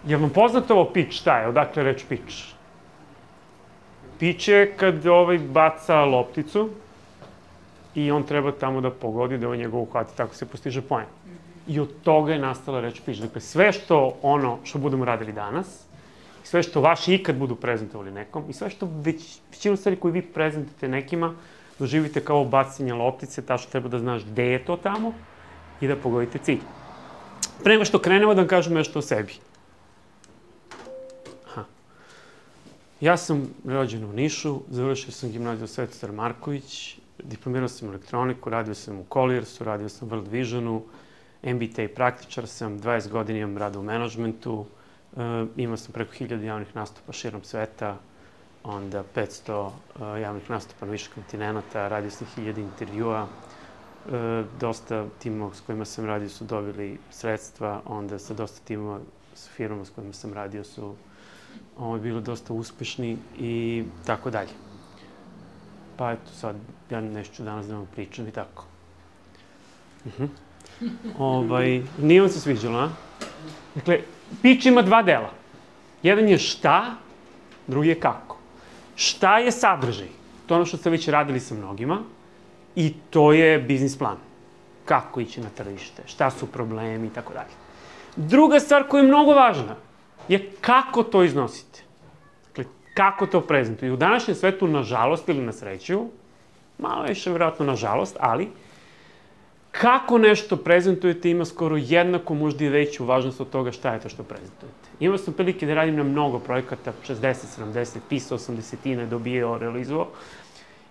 Je li vam poznato ovo pitch, šta je? Odakle reč pitch? Pitch je kad baca lopticu i on treba tamo da pogodi, da njega uhvati, tako se postiže poen. I od toga je nastala reč pitch. Dakle, sve što budemo radili danas, sve što vaši ikad budu prezentovali nekom i sve što većinu stvari koju vi prezentujete nekima, doživite kao bacanje loptice, tačno treba da znaš gde je to tamo i da pogodite cilj. Pre nego što krenemo da vam kažem nešto o sebi. Ja sam rođen u Nišu, završio sam gimnaziju Svetozar Marković, diplomirao sam elektroniku, radio sam u Colliersu, radio sam u World Visionu, MBA praktičar sam, 20 godina imam rada u menadžmentu, imao sam preko 1000 javnih nastupa širom sveta, onda 500 javnih nastupa na više kontinenta, radio sam 1000 intervjua, dosta timova s kojima sam radio su dobili sredstva, onda sa dosta timova, sa firmama s kojima sam radio su bili dosta uspešni i tako dalje. Pa eto sad, ja nešto danas da vam pričam i tako. Nije vam se sviđalo, a? Dakle, pitch ima dva dela. Jedan je šta, drugi je kako. Šta je sadržaj? To je ono što ste već radili sa mnogima i to je biznis plan. Kako ići na tržište, šta su problemi i tako dalje. Druga stvar koja je mnogo važna je kako to iznosite. Dakle, kako to prezentujete. I u današnjem svetu, nažalost ili na sreću, malo više vjerojatno nažalost, ali kako nešto prezentujete ima skoro jednako, možda i veću važnost od toga šta je to što prezentujete. Imao sam prilike da radim na mnogo projekata, 60, 70, pisao 80-ine, dobijao, realizovao.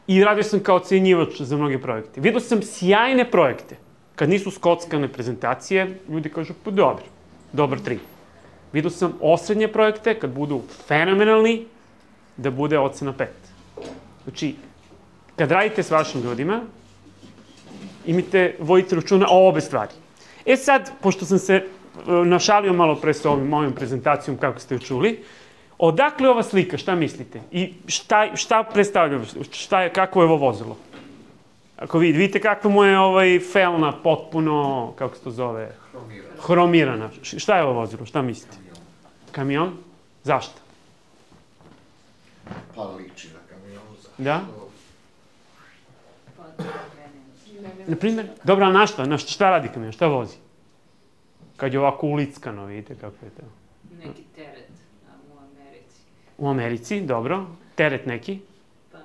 I radio sam kao ocenjivač za mnoge projekte. Vidio sam sjajne projekte. Kad nisu skockane prezentacije, ljudi kažu, pa dobro, dobar 3. Vidio sam osrednje projekte, kad budu fenomenalni, da bude ocena 5. Znači, kad radite s vašim ljudima, vodite računa o obe stvari. E sad, pošto sam se našalio malo pre sa mojom prezentacijom, kako ste ju čuli, odakle ova slika, šta mislite? I šta predstavlja, kako je ovo vozilo? Ako vidite kakva mu je felna potpuno, kako se to zove? Hromirana. Šta je ovo vozilo, šta mislite? Kamion? Zašto? Pa liči na kamion, zašto? Da? Na primjer? Dobro, a na šta radi kamion, šta vozi? Kad je ovako ulickano, vidite kako je to. Neki teret u Americi. U Americi, dobro. Teret neki. Pa da.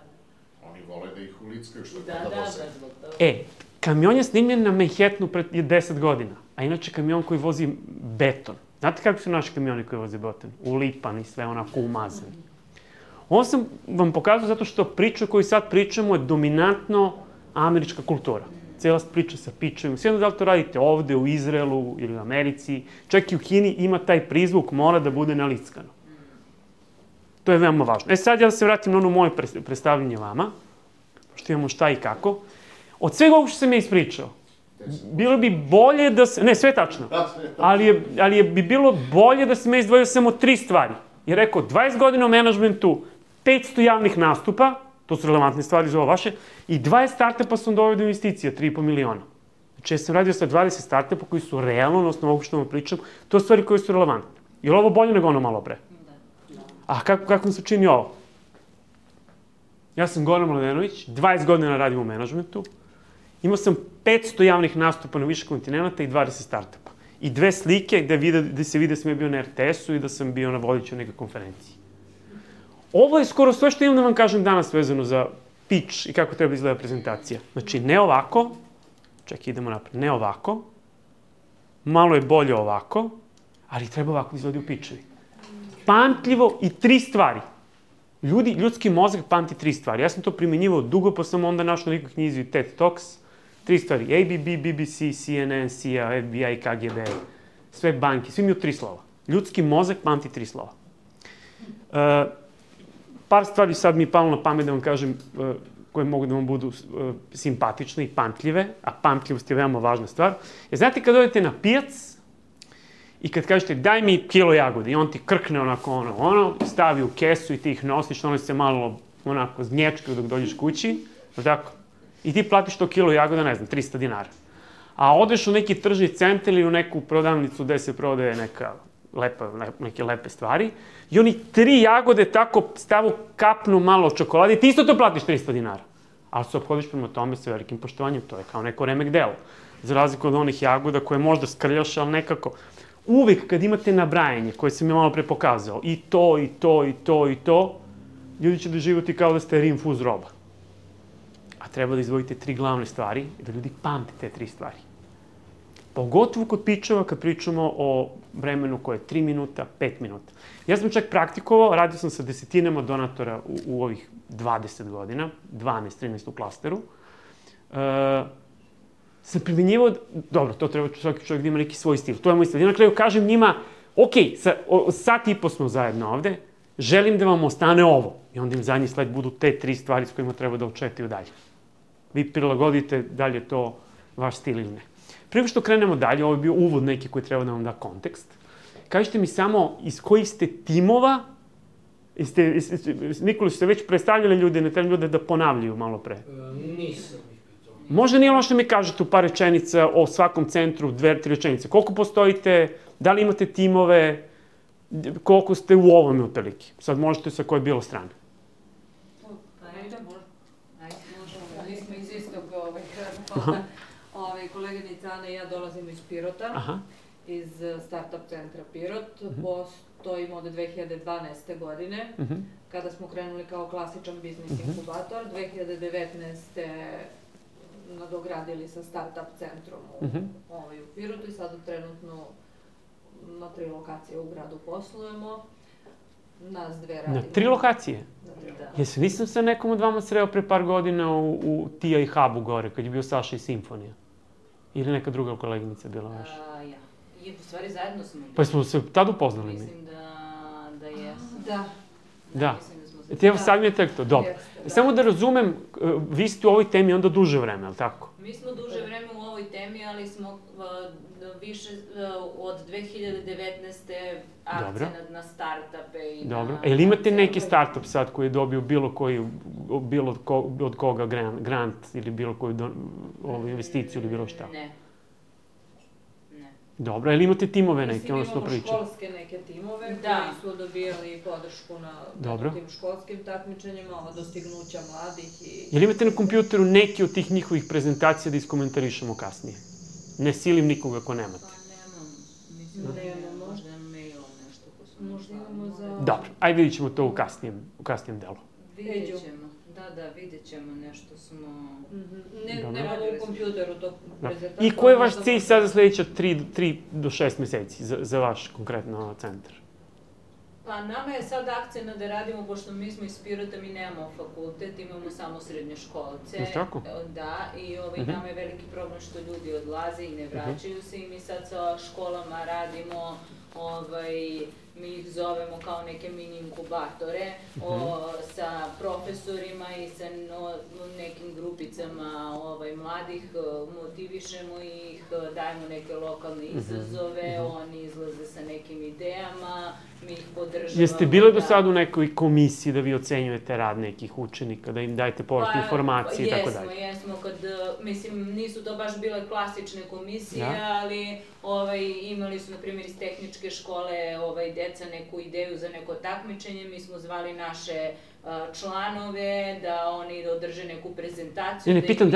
Oni vole da ih ulickaju što Da, da voze. zbog toga. Kamion je snimljen na Manhattanu pred 10 godina, a inače kamion koji vozi beton. Znate kako su naši kamioni koji voze beton? Ulipan i sve onako umazan. Ovo sam vam pokazao zato što priča koju sad pričamo je dominantno američka kultura. Cijela priča sa pitchovima. Sjedno da li to radite ovde, u Izraelu ili u Americi, čak i u Kini ima taj prizvuk, mora da bude nalickano. To je veoma važno. Sad ja da se vratim na ono moje predstavljanje vama, pošto imamo šta i kako. Od svega ovog što sam ja ispričao, bilo bi bolje da se... Ne, sve je tačno. Ali bi bilo bolje da sam ja izdvojio samo 3 stvari. I rekao, 20 godina u menadžmentu, 500 javnih nastupa, to su relevantne stvari za ovo vaše, i 20 startupa sam doveo do investicija, 3,5 miliona. Znači, ja sam radio sa 20 startupa koji su realno, na osnovu ovog što vam pričam, to su stvari koje su relevantne. Je li ovo bolje nego ono malo pre? A kako mi se čini ovo? Ja sam Goran Mladenović, 20 godina radim u menadžmentu, imao sam 500 javnih nastupa na više kontinenta i 20 startupa. I 2 slike gde se vide da sam ja bio na RTS-u i da sam bio na vodiću neke konferenciji. Ovo je skoro sve što imam da vam kažem danas vezano za pitch i kako treba izgleda prezentacija. Znači, ne ovako, čekaj, idemo napred, ne ovako, malo je bolje ovako, ali treba ovako da izgleda u pitchovi. Pamtljivo i 3 stvari. Ljudski mozak pamti 3 stvari. Ja sam to primenjivao dugo, pa sam onda našao na nekoj knjizi TED Talks. 3 stvari. ABB, BBC, CNN, CIA, FBI, KGB, sve banke, svi imaju 3 slova. Ljudski mozak pamti 3 slova. Par stvari sad mi je palo na pamet da vam kažem koje mogu da vam budu simpatične i pamtljive, a pamtljivost je veoma važna stvar. Znate kad odete na pijac i kad kažete daj mi kilo jagode i on ti krkne onako stavi u kesu i ti ih nosiš, ono se malo onako znječkaju dok dođeš kući, tako? I ti platiš to kilo jagoda, ne znam, 300 dinara. A odeš u neki tržni centar ili u neku prodavnicu gde se prodaje neka neke lepe stvari. I oni 3 jagode tako stavu kapnu malo čokolade i ti isto to platiš 300 dinara. Ali se obhodiš prema tome sa velikim poštovanjem, to je kao neko remek delo. Za razliku od onih jagoda koje možda skrljaš, ali nekako... Uvijek kad imate nabrajanje, koje sam ja malo pre pokazao, i to, i to, i to, i to, ljudi će doživjeti kao da ste rinfuz roba. A treba da izdvojite 3 glavne stvari i da ljudi pamte te 3 stvari. Pogotovo kod pičeva kad pričamo o vremenu koje je 3 minuta, 5 minuta. Ja sam čak praktikovao, radio sam sa desetinama donatora u ovih 20 godina, 12-13 u klasteru. Sam primjenjivao, dobro, to treba svaki čovjek da ima neki svoj stil, to je moj stil. I na kraju kažem njima, ok, sat i po smo zajedno ovde, želim da vam ostane ovo. I onda im zadnji slajd budu te 3 stvari s kojima treba da očetaju dalje. Vi prilagodite da li je to vaš stil ili ne. Prije što krenemo dalje, ovo je bio uvod neki koji treba da vam da kontekst. Kažite mi samo iz kojih ste timova, Nikoli, ste već predstavljali ljude, ne treba ljude da ponavljaju malo pre? Nisam ih pitao. Možda nije ono što mi kažete u par rečenica o svakom centru, 2-3 rečenice. Koliko postojite, da li imate timove, koliko ste u ovome otprilike? Sad možete sa koje bilo strane. Pa ajde, možemo. Mi smo iz istog grada. Koleginica Ana i ja dolazimo iz Pirota, iz Startup centra Pirot. Postojimo od 2012. godine, kada smo krenuli kao klasičan biznis inkubator. 2019. nadogradili sa Startup centrom u Pirotu i sada trenutno na 3 lokacije u gradu poslujemo. Nas 2 radimo. Na 3 lokacije? Da. Jesi, nisam se nekom od vama sreo pre par godina u Tija i Hubu gore, kad je bio Saša i Simfonija? Ili neka druga koleginica bila vaša? Ja. I u stvari zajedno smo bili. Pa smo se tad upoznali mi? Mislim da jesam. Da. Mislim da smo se... Evo sad mi je tek to, dobro. Samo da razumem, vi ste u ovoj temi onda duže vreme, ali tako? Mi smo duže vreme u ovoj temi, ali smo više od 2019. akcenat na startupe i na... Dobro. Ili imate neki startup sad koji je dobio bilo od koga grant ili bilo koju investiciju ili bilo šta? Ne. Dobro, ili imate timove neke, ono što priča? Imamo školske neke timove koji su dobijali podršku na tim školskim takmičenjima, dostignuća mladih i... Ili imate na kompjuteru neki od tih njihovih prezentacija da iskomentarišemo kasnije? Ne silim nikoga ako nemate. Pa nemam. Mislim da imamo možda mail nešto ko su... Možda imamo za... Dobro, ajde vidit ćemo to u kasnijem delu. Vidjet ćemo. Da, vidjet ćemo, nešto smo... Nemamo u kompjuteru to prezentaciju. I koji je vaš cilj sad za sljedeća 3 do 6 meseci za vaš konkretno centar? Pa nama je sad akcija da radimo, pošto mi smo iz Pirota, mi nemamo fakultet, imamo samo srednje školce. Jeste tako? Da, i nama je veliki problem što ljudi odlaze i ne vraćaju se i mi sad sa školama radimo, mi ih zovemo kao neke mini inkubatore, sa profesorima i sa nekim grupicama mladih, motivišemo ih, dajemo neke lokalne izazove, oni izlaze sa nekim idejama, mi ih podržavamo. Jeste bili do sad u nekoj komisiji da vi ocenjujete rad nekih učenika, da im dajete povratne informacije i tako dalje? Jesmo, mislim, nisu to baš bile klasične komisije, ali imali su, na primjer, iz tehničke škole deca neku ideju za neko takmičenje, mi smo zvali naše članove da oni održe neku prezentaciju. Ne, pitam,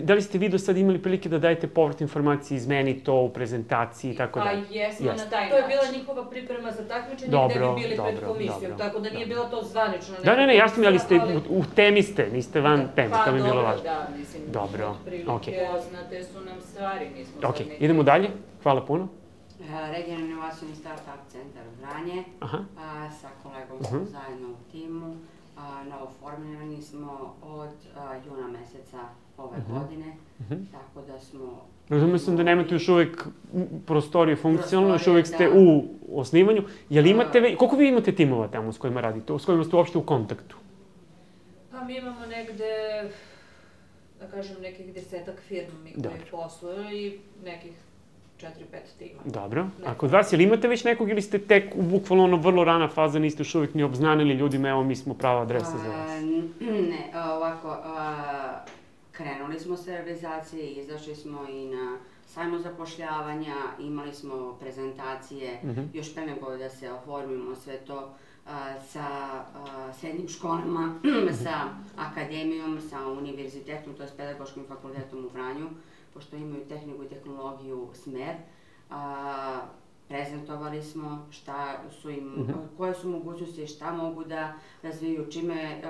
da li ste vi do sad imali prilike da dajete povratne informacije, izmeni to u prezentaciji i tako dalje? Pa jesmo na taj način. To je bila njihova priprema za takmičenje gde bi bili pred komisijom, tako da nije bilo to zvanično. Da, jasno mi, ali u temi ste, niste van teme, to mi je bilo važno. Da, mislim, otprilike poznate su nam stvari, nismo sad neki... Idemo dalje, hvala puno. Regionalni inovacioni startup centar Vranje, sa kolegom smo zajedno u timu. Novoformirani smo od juna meseca ove godine, tako da smo... Razumio sam da nemate još uvijek prostorije funkcionalno, još uvijek ste u osnivanju. Koliko vi imate timova tamo s kojima radite, s kojima ste uopšte u kontaktu? Pa mi imamo negde, da kažem, nekih 10-ak firmi koji posluju i nekih 4-5 tima. Dobro. A kod vas, ili imate već nekog ili ste tek u bukvalno vrlo rana faza, niste još uvijek ni obznanili ljudima, evo mi smo prava adresa za vas? Ne, ovako, krenuli smo sa realizacije, izašli smo i na sajmu zapošljavanja, imali smo prezentacije, još pre nego da se oformimo sve to sa srednjim školama, sa akademijom, sa univerzitetom, to je pedagoškim fakultetom u Vranju, pošto imaju tehniku i tehnologiju smer. Prezentovali smo šta su im, koje su mogućnosti, šta mogu da razviju, čime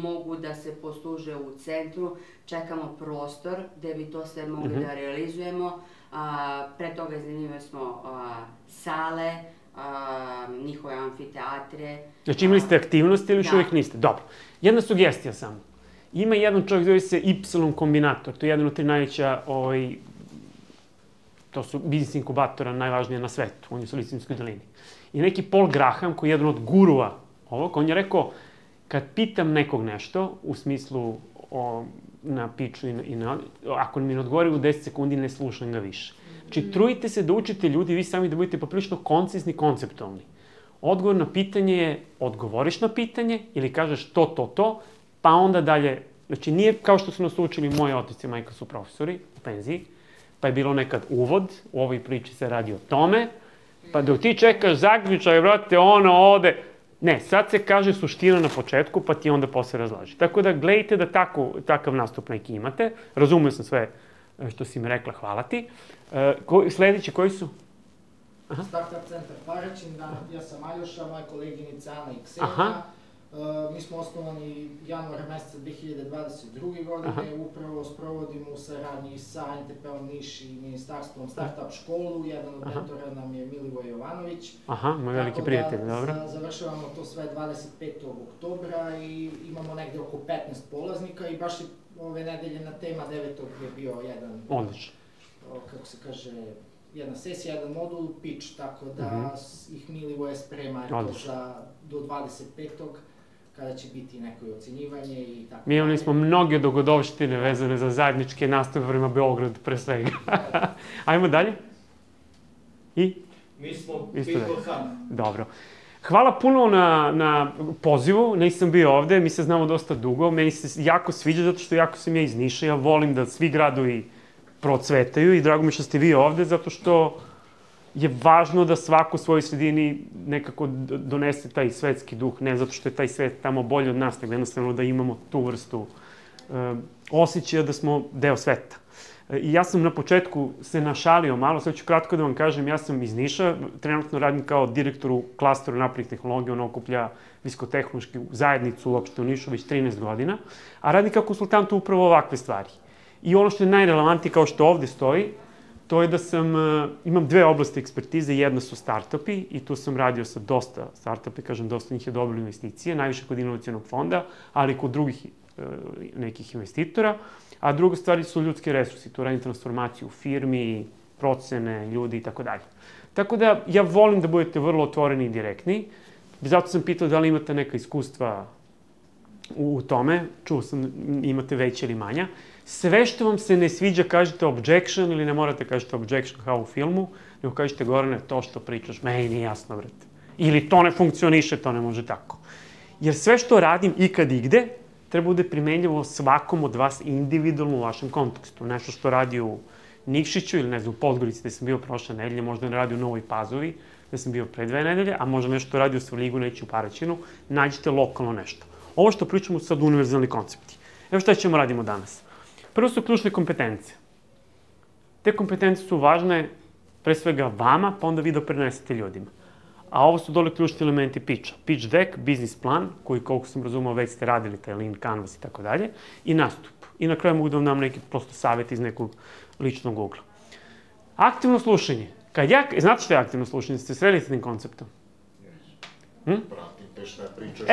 mogu da se posluže u centru. Čekamo prostor gde bi to sve mogli da realizujemo. Pre toga iznajmljivali smo sale, njihove amfiteatre. Znači imali ste aktivnosti ili još uvijek niste? Dobro. Jedna sugestija samo. Ima jedan čovjek, zove se Y kombinator, to je jedan od 3 najveća to su biznis inkubatora najvažnije na svetu, on je u Silicijskoj dolini. I neki Paul Graham, koji je jedan od gurua ovog, on je rekao, kad pitam nekog nešto, u smislu na piču ako mi ne odgovori u 10 sekundi, ne slušam ga više. Znači, trudite se da učite ljudi, vi sami da budete poprilično koncizni, konceptualni. Odgovor na pitanje je, odgovoriš na pitanje ili kažeš to, pa onda dalje. Znači, nije kao što su nas učili moji otici i majka su profesori u penziji, pa je bilo nekad uvod, u ovoj priči se radi o tome, pa dok ti čekaš zaključaj, brate, ono ode. Ne, sad se kaže suština na početku, pa ti onda posle razlaži. Tako da gledajte da takav nastup neki imate. Razumio sam sve što si mi rekla, hvala ti. Sljedeći koji su? Startup centar Paraćin, ja sam Aljoša, moja koleginica Ana i Ksenija. Mi smo osnovani januara meseca 2022. godine, upravo sprovodimo u saradnji sa NTP-om Niš i ministarstvom Startup školu, jedan od mentora nam je Milivoj Jovanović. Aha, moj veliki prijatelj, dobro. Tako da završavamo to sve 25. oktobra i imamo negde oko 15 polaznika i baš je ove nedelje na tema 9. je bio jedan, odlično, kako se kaže, jedna sesija, jedan modul, pitch, tako da ih Milivoje sprema do 25. kada će biti neko ocenjivanje i tako. Mi imali smo mnoge dogodovštine vezane za zajedničke nastave prema Beogradu, pre svega. Ajmo dalje. I? Mi smo People Hub. Dobro. Hvala puno na pozivu, nisam bio ovde, mi se znamo dosta dugo, meni se jako sviđa zato što jako sam ja iz Niša, ja volim da svi gradovi procvetaju i drago mi što ste vi ovde zato što je važno da svako u svojoj sredini nekako donese taj svetski duh, ne zato što je taj svet tamo bolji od nas, nego jednostavno da imamo tu vrstu osjećaja da smo deo sveta. I ja sam na početku se našalio malo, sad ću kratko da vam kažem, ja sam iz Niša, trenutno radim kao direktor u klasteru naprednih tehnologija, on okuplja visokotehnološku zajednicu uopšte u Nišu već 13 godina, a radim kao konsultant upravo ovakve stvari. I ono što je najrelevantnije, kao što ovde stoji, to je da imam 2 oblasti ekspertize, jedna su startupi i tu sam radio sa dosta startupi, kažem dosta njih je dobilo investicije, najviše kod inovacionog fonda, ali i kod drugih nekih investitora, a druga stvari su ljudski resursi, tu radim transformaciju u firmi, procene, ljudi i tako dalje. Tako da ja volim da budete vrlo otvoreni i direktni, zato sam pitao da li imate neka iskustva u tome, čuo sam imate veće ili manja. Sve što vam se ne sviđa kažete objection ili ne morate kažete objection kao u filmu, nego kažete Gorane, to što pričaš, meni nije jasno, brate. Ili to ne funkcioniše, to ne može tako. Jer sve što radim ikad i gde, treba bude primenjivo svakom od vas individualno u vašem kontekstu. Nešto što radi u Nikšiću ili ne znam, u Podgorici gde sam bio prošle nedelje, možda ne radi u Novoj Pazovi, gde sam bio pre 2 nedelje, a možda nešto radi u Svrljigu, neće u Paraćinu, nađite lokalno nešto. Ovo što pričamo su sad univerzalni koncepti. Evo šta ćemo radimo danas. Prvo su ključne kompetencije. Te kompetencije su važne pre svega vama, pa onda vi da prenesete ljudima. A ovo su dole ključni elementi pitcha. Pitch deck, biznis plan, koji, koliko sam razumao, već ste radili, taj lean canvas i tako dalje, i nastup. I na kraju mogu da vam dam neki prosto savjet iz nekog ličnog ugla. Aktivno slušanje. Znate što je aktivno slušanje? Ste sreli s tim konceptom? Pratim te šta pričaš.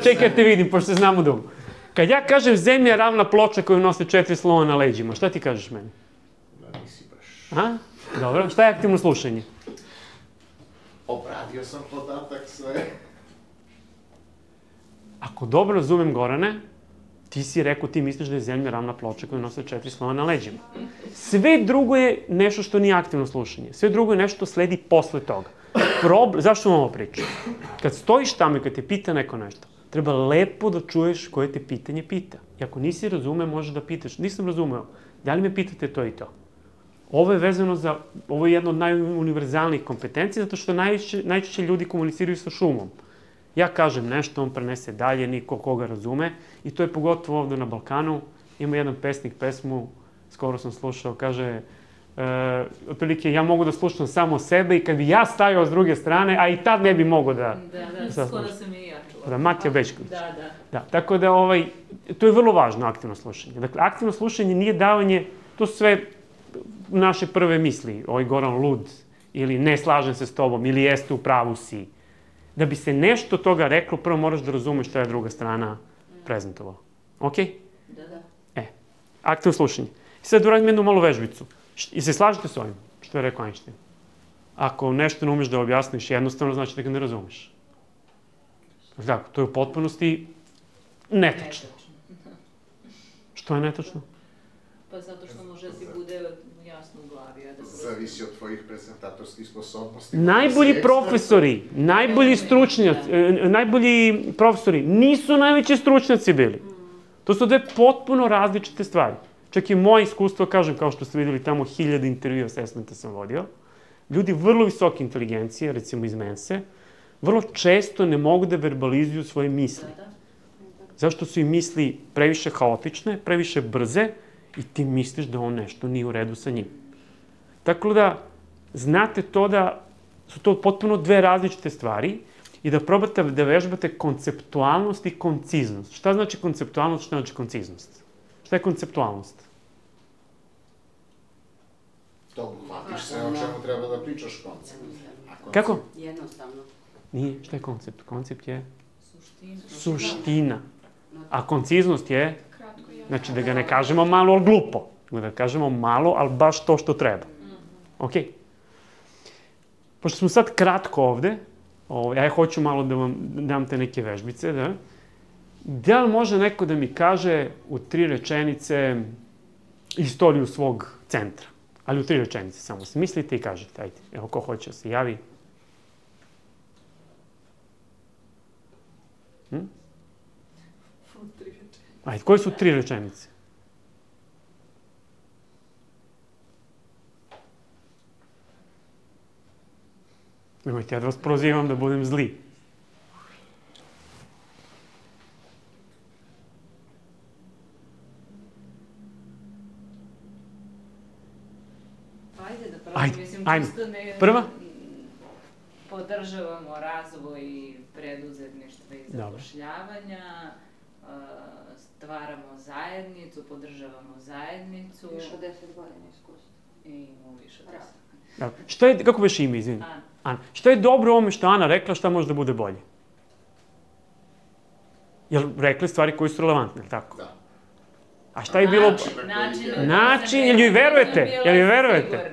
Čekaj da te vidim, pošto se znamo dugo. Kad ja kažem zemlja je ravna ploča koju nose 4 slona na leđima, šta ti kažeš meni? Da nisi baš. Dobro, šta je aktivno slušanje? Obradio sam podatak sve. Ako dobro razumem Gorane, ti si rekao, ti misliš da je zemlja ravna ploča koju nose 4 slona na leđima. Sve drugo je nešto što nije aktivno slušanje. Sve drugo je nešto što sledi posle toga. Zašto vam ovo pričam? Kad stojiš tamo i kad te pita neko nešto, treba lepo da čuješ koje te pitanje pita. I ako nisi razume, možeš da pitaš. Nisam razumeo, da li me pitate to i to? Ovo je vezano za, ovo je jedna od najuniverzalnijih kompetencija, zato što najčešće ljudi komuniciraju sa šumom. Ja kažem nešto, on prenese dalje, niko koga razume. I to je pogotovo ovde na Balkanu. Ima jedan pesnik pesmu, skoro sam slušao, kaže, otprilike, ja mogu da slušam samo sebe i kad bi ja stajao s druge strane, a i tad ne bi mogo da... Da, skoro sam i ja čula. Da, Matija Bećković. Da. Tako da, to je vrlo važno, aktivno slušanje. Dakle, aktivno slušanje nije davanje, to su sve naše prve misli, Goran lud, ili ne slažem se s tobom, ili jeste u pravu si. Da bi se nešto toga reklo, prvo moraš da razumeš šta je druga strana prezentovala. Okej? Da. Aktivno slušanje. I sad uradim jednu malu vežbicu. I se slažete s ovim, što je rekao Einstein? Ako nešto ne umeš da objasniš jednostavno, znači da ga ne razumeš. Tako, to je u potpunosti netačno. Što je netačno? Pa zato što može da ti bude jasno u glavi. Zavisi od tvojih prezentatorskih sposobnosti. Najbolji profesori, najbolji stručnjaci, najbolji profesori nisu najveći stručnjaci bili. To su dve potpuno različite stvari. Čak i moje iskustvo, kažem, kao što ste videli tamo 1000 intervju assessmenta sam vodio, ljudi vrlo visoke inteligencije, recimo iz Mense, vrlo često ne mogu da verbalizuju svoje misli. Zašto su im misli previše haotične, previše brze i ti misliš da on nešto nije u redu sa njim. Tako da, znate to da su to potpuno dve različite stvari i da probate da vežbate konceptualnost i konciznost. Šta znači konceptualnost, šta znači konciznost? Šta je konceptualnost? To hvatiš sve o čemu treba da pričaš koncept. Kako? Jednostavno. Nije. Šta je koncept? Koncept je suština. A konciznost je, znači da ga ne kažemo malo, ali glupo. Da kažemo malo, ali baš to što treba. Okej. Pošto smo sad kratko ovde, ja hoću malo da vam dam te neke vežbice, da? Da li može neko da mi kaže u 3 rečenice istoriju svog centra? Ali u 3 rečenice samo. Smislite i kažete, ajde. Evo, ko hoće da se javi. Ajde, koje su 3 rečenice? Nemojte, ja da vas prozivam da budem zli. Ajde da probam, mislim, čisto ne... Prva? Podržavamo razvoj preduzetništva i zapošljavanja, stvaramo zajednicu, podržavamo zajednicu. Više od 10 godina iskustva. I imamo više od 10. Šta je, kako već ime, izvini? Ana. Šta je dobro u ovome što Ana rekla, šta može da bude bolje? Jel rekli stvari koje su relevantne, ili tako? Da. A šta je bilo... Način, jel joj verujete? Jel joj verujete?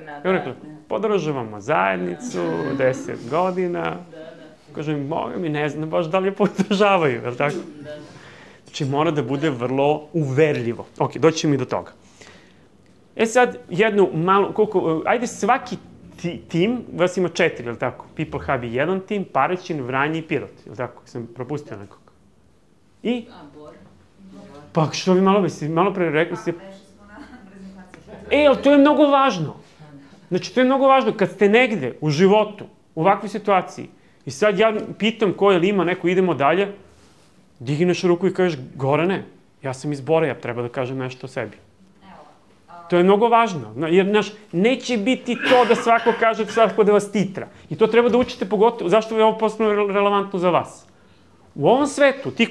Podržavamo zajednicu, 10 godina. Kažem, Boga mi ne znam baš da li je podržavaju, jel tako? Znači, mora da bude vrlo uverljivo. Ok, doći mi do toga. Sad, jednu malu, ajde svaki tim, vas ima 4, jel tako? People Hub je jedan tim, Paraćin, Vranje i Pirot, jel tako? Sam propustio nekog. I? Bor. Pa što vi malo pre rekli ste... Ali to je mnogo važno. Znači, to je mnogo važno. Kad ste negde u životu, u ovakvoj situaciji, i sad ja pitam ko je li ima neko, idemo dalje, digneš ruku i kažeš, Gorane, ja sam iz Bora, ja treba da kažem nešto o sebi. To je mnogo važno, jer, znaš, neće biti to da svako kaže svako da vas titra. I to treba da učite pogotovo, zašto je ovo postano relevantno za vas? U ovom svetu, ti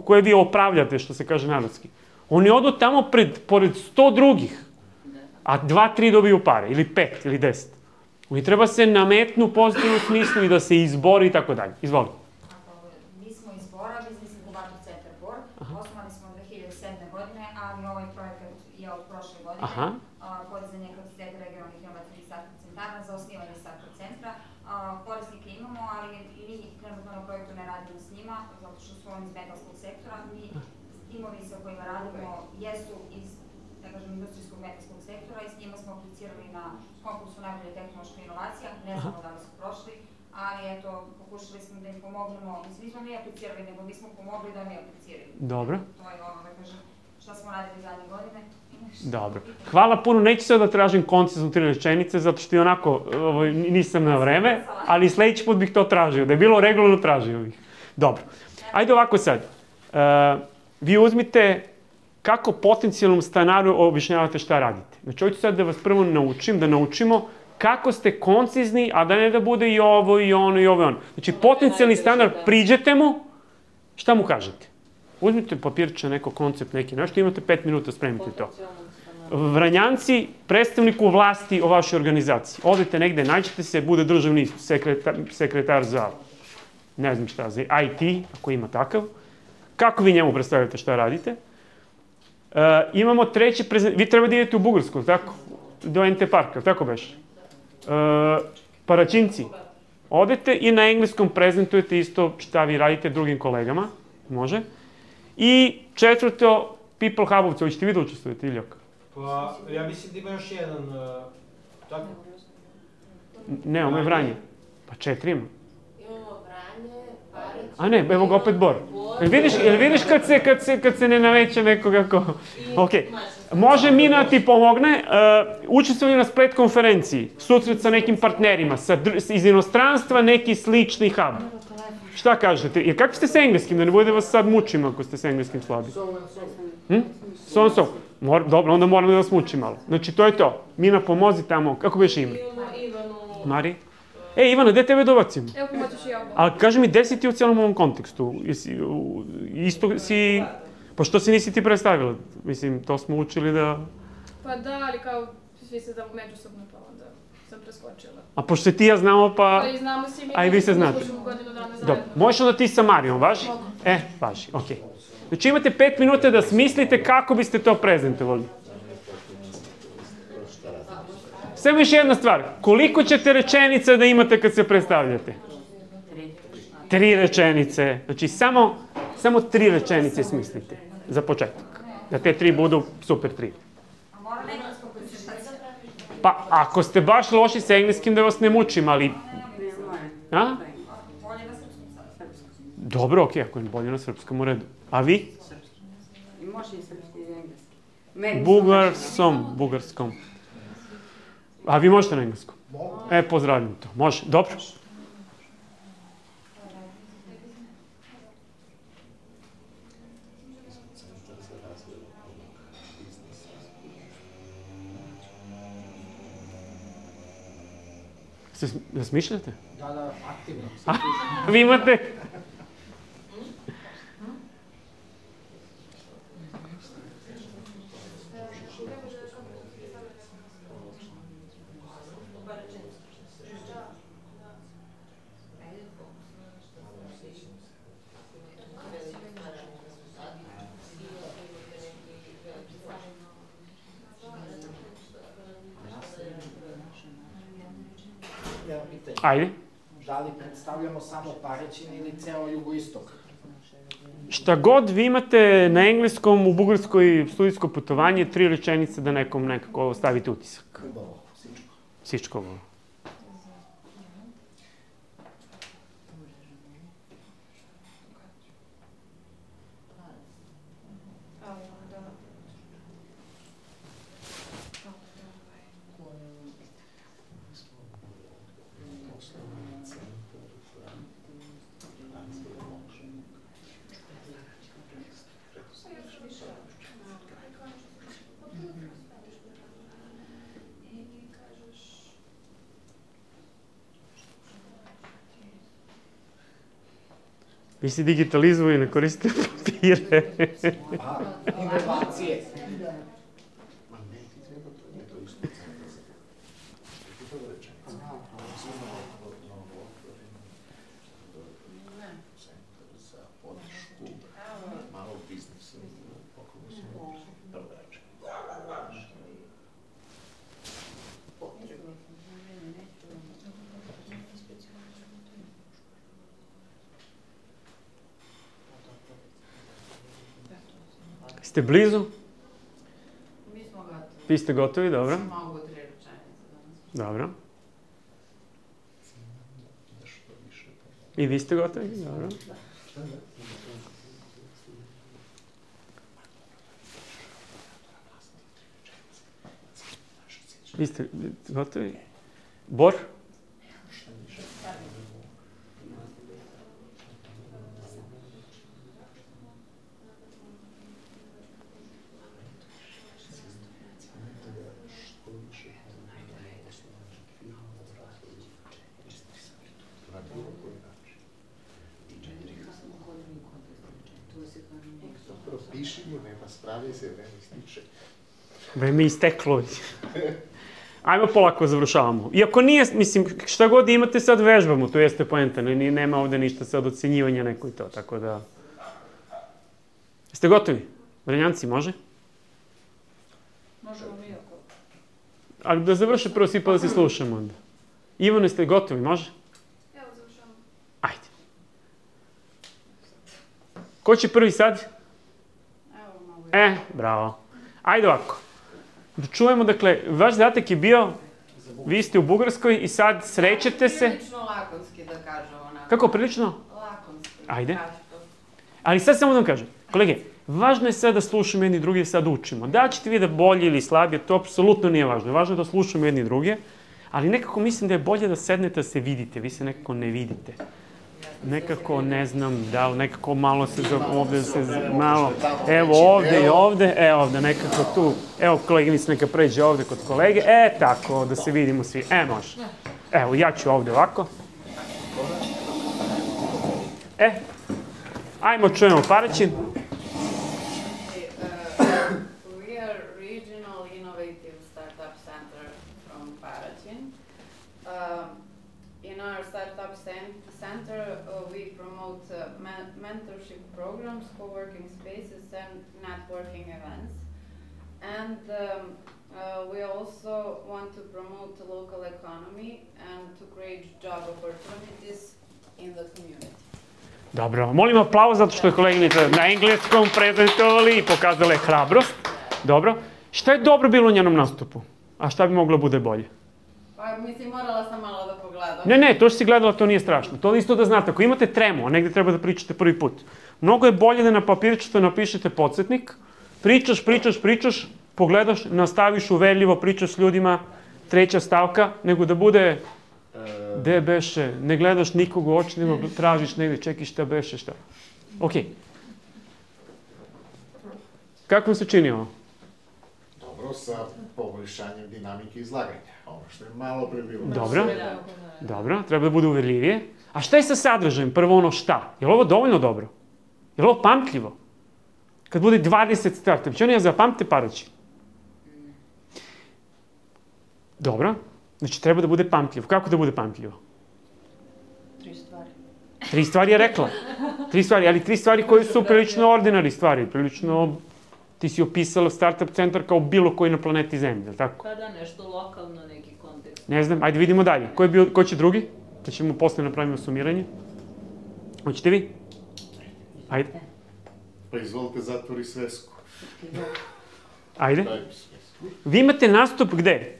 koje vi opravljate, što se kaže narodski, oni odu tamo pored 100 drugih, a 2-3 dobiju pare, ili 5, ili 10. Oni treba se nametnu u pozitivnom smislu i da se izbori i tako dalje. Izvoli. Mi smo iz Bora, Biznis Inkubator Centar Bor. Osnovali smo 2007. godine, ali ovaj projekat je od prošle godine. Podizanje kapaciteta regionalnih inovacijskih startup centara za osnivanje startup centra. Korisnike imamo, ali mi trenutno na projektu ne radimo s njima, zato što su oni iz metalskog sektora. Mi timovi sa kojima radimo jesu iz, da kažem, industrijskog metalskog sektora i s njima smo aplicirali na konkursu najbolje tehnološke inovacija. Ne znamo da li su prošli, a ali eto, pokušali smo da im pomognemo, mislim, nismo mi aplicirali, nego mi smo pomogli da oni apliciraju. Dobro. To je ono, da kažem, šta smo radili zadnje godine. Dobro. Hvala puno, neću sad da tražim koncizno 3 rečenice, zato što i onako nisam na vreme, ali sledeći put bih to tražio. Da je bilo regularno, tražio bih. Dobro. Ajde ovako sad. Vi uzmite kako potencijalnom stanaru objašnjavate šta radite. Znači, hoću sad da vas prvo naučim, da naučimo kako ste koncizni, a da ne da bude i ovo, i ono, i ovo, i ono. Znači, potencijalni stanar, priđete mu, šta mu kažete? Uzmite papirče, neko koncept, neki nešto, imate 5 minuta, spremite to. Vranjanci, predstavniku vlasti o vašoj organizaciji. Odete negde, nađete se, bude državni sekretar za, ne znam šta, za IT, ako ima takav. Kako vi njemu predstavljate šta radite? Imamo treći vi treba da idete u Bugarsku, tako? Do NT Parka, tako beš? Paraćinci. Odete i na engleskom prezentujete isto šta vi radite drugim kolegama. Može. I četvrto, People Hubovci. Hoćete vi da učestvujete, Iljak? Pa, ja mislim da ima još jedan, tako? Ne, ovo je Vranje. Pa 4 ima. Imamo Vranje, Paraćin... A ne, evo ga opet Bor. Jel vidiš kad se ne naveće nekog ako... Ok. Može Mina ti pomogne, učestvuje na splet konferenciji, susret sa nekim partnerima, iz inostranstva neki slični hub. Šta kažete? Jer kako ste s engleskim, da ne bude da vas sad mučim ako ste s engleskim slabi? So. Dobro, onda moram da vas mučim malo. Znači, to je to. Mina, pomozi tamo. Kako biš ime? Mari? Ivana, gde tebe dobacimo? Evo, pomoćeš i ja. Ali kaži mi, gde si ti u cijelom ovom kontekstu? Isto si... Pa što si nisi ti predstavila? Mislim, to smo učili da... Pa da, ali kao svi se znamo međusobno, pa onda sam preskočila. A pošto se ti ja znamo, pa... Ali znamo si mi... A i vi se znate. Godinu dana zajedno. Dobro, možeš onda ti sa Marijom, važi? Mogu. Važi, okej. Znači imate 5 minuta da smislite kako biste to prezentovali. Samo još jedna stvar. Koliko ćete rečenica da imate kad se predstavljate? 3 rečenice. Znači samo 3 rečenice smislite za početak. Da te 3 budu super 3. A mora englesko koncentracija? Pa ako ste baš loši sa engleskim da vas ne mučim, ali... A? Bolje na srpskom sad. Dobro, okej, ako je bolje na srpskom u redu. A vi? I može i srpski i engleski. Bugarskom. A vi možete na engleskom? Pozdravljam to. Može, dobro. Da smišljate? Da, aktivno. Vi imate... Ajde. Da li predstavljamo samo Paraćin ili ceo jugoistok? Šta god vi imate na engleskom, u Bugarskoj studijsko putovanje, 3 rečenice da nekom nekako stavite utisak. Sičkovo. Vi si digitalizuju i ne koristite papire. Inovacije. Ste blizu? Mi smo gotovi. Vi ste gotovi, dobro. Mogu 3 rečenice. Dobro. I vi ste gotovi? Dobro. Vi ste gotovi? Bor? Piši mu, nema, spravi se, vreme ističe. Vreme isteklo. Ajmo polako završavamo. Iako nije, mislim, šta god imate sad vežbamo, to jeste poenta, nema ovde ništa sad ocenjivanja neko i to, tako da... Jeste gotovi? Vrenjanci, može? Možemo mi ako... Ali da završe prvo svi pa da se slušamo onda. Ivano, jeste gotovi, može? Evo, završavamo. Ajde. Ko će prvi sad? Bravo. Ajde ovako. Da čujemo, dakle, vaš zadatak je bio, vi ste u Bugarskoj i sad srećete se... Prilično lakonski da kažem onako. Kako, prilično? Lakonski. Ajde. Ali sad samo da vam kažem, kolege, važno je sad da slušamo jedni drugi i sad učimo. Da ćete vi da bolje ili slabije, to apsolutno nije važno. Važno je da slušamo jedni druge, ali nekako mislim da je bolje da sednete da se vidite, vi se nekako ne vidite. Nekako, ne znam, da li nekako malo se ovde se malo, evo ovde i ovde, ovde nekako tu, evo koleginica neka pređe ovde kod kolege, tako, da se vidimo svi, može. Evo, ja ću ovde ovako. Ajmo čujemo Paraćin. We are regional innovative startup center from Paraćin. In our startup center, we promote mentorship programs, co-working spaces, and networking events. And we also want to promote the local economy and to create job opportunities in the community. Dobro, molim aplauz zato što je koleginica na engleskom prezentovali i pokazala je hrabrost. Dobro. Šta je dobro bilo u njenom nastupu? A šta bi moglo bude bolje? Pa mislim, morala sam malo da pogledam. Ne, to što si gledala, to nije strašno. To isto da znate, ako imate tremu, a negde treba da pričate prvi put, mnogo je bolje da na papirčetu napišete podsjetnik, pričaš, pogledaš, nastaviš uverljivo, pričaš s ljudima, treća stavka, nego da bude, gde beše, ne gledaš nikog u oči, nego tražiš negde, čekaj šta beše, šta. Okej. Kako vam se čini ovo? Dobro, sa poboljšanjem dinamike izlaganja. Ono što je malo pre bilo. Dobro, treba da bude uverljivije. A šta je sa sadržajem? Prvo ono šta? Je li ovo dovoljno dobro? Je li ovo pamtljivo? Kad bude 20 starta, će oni ja zapamte Paraćin? Dobro, znači treba da bude pamtljivo. Kako da bude pamtljivo? 3 stvari. 3 stvari je rekla. 3 stvari, ali 3 stvari koje su prilično ordinarne stvari, prilično... Ti si opisala startup centar kao bilo koji na planeti Zemlji, je li tako? Pa da, nešto lokalno, neki kontekst. Ne znam, ajde vidimo dalje. Ko će drugi? Da ćemo posle napravimo sumiranje. Hoćete vi? Ajde. Pa izvolite, zatvori svesku. Ajde. Vi imate nastup gde?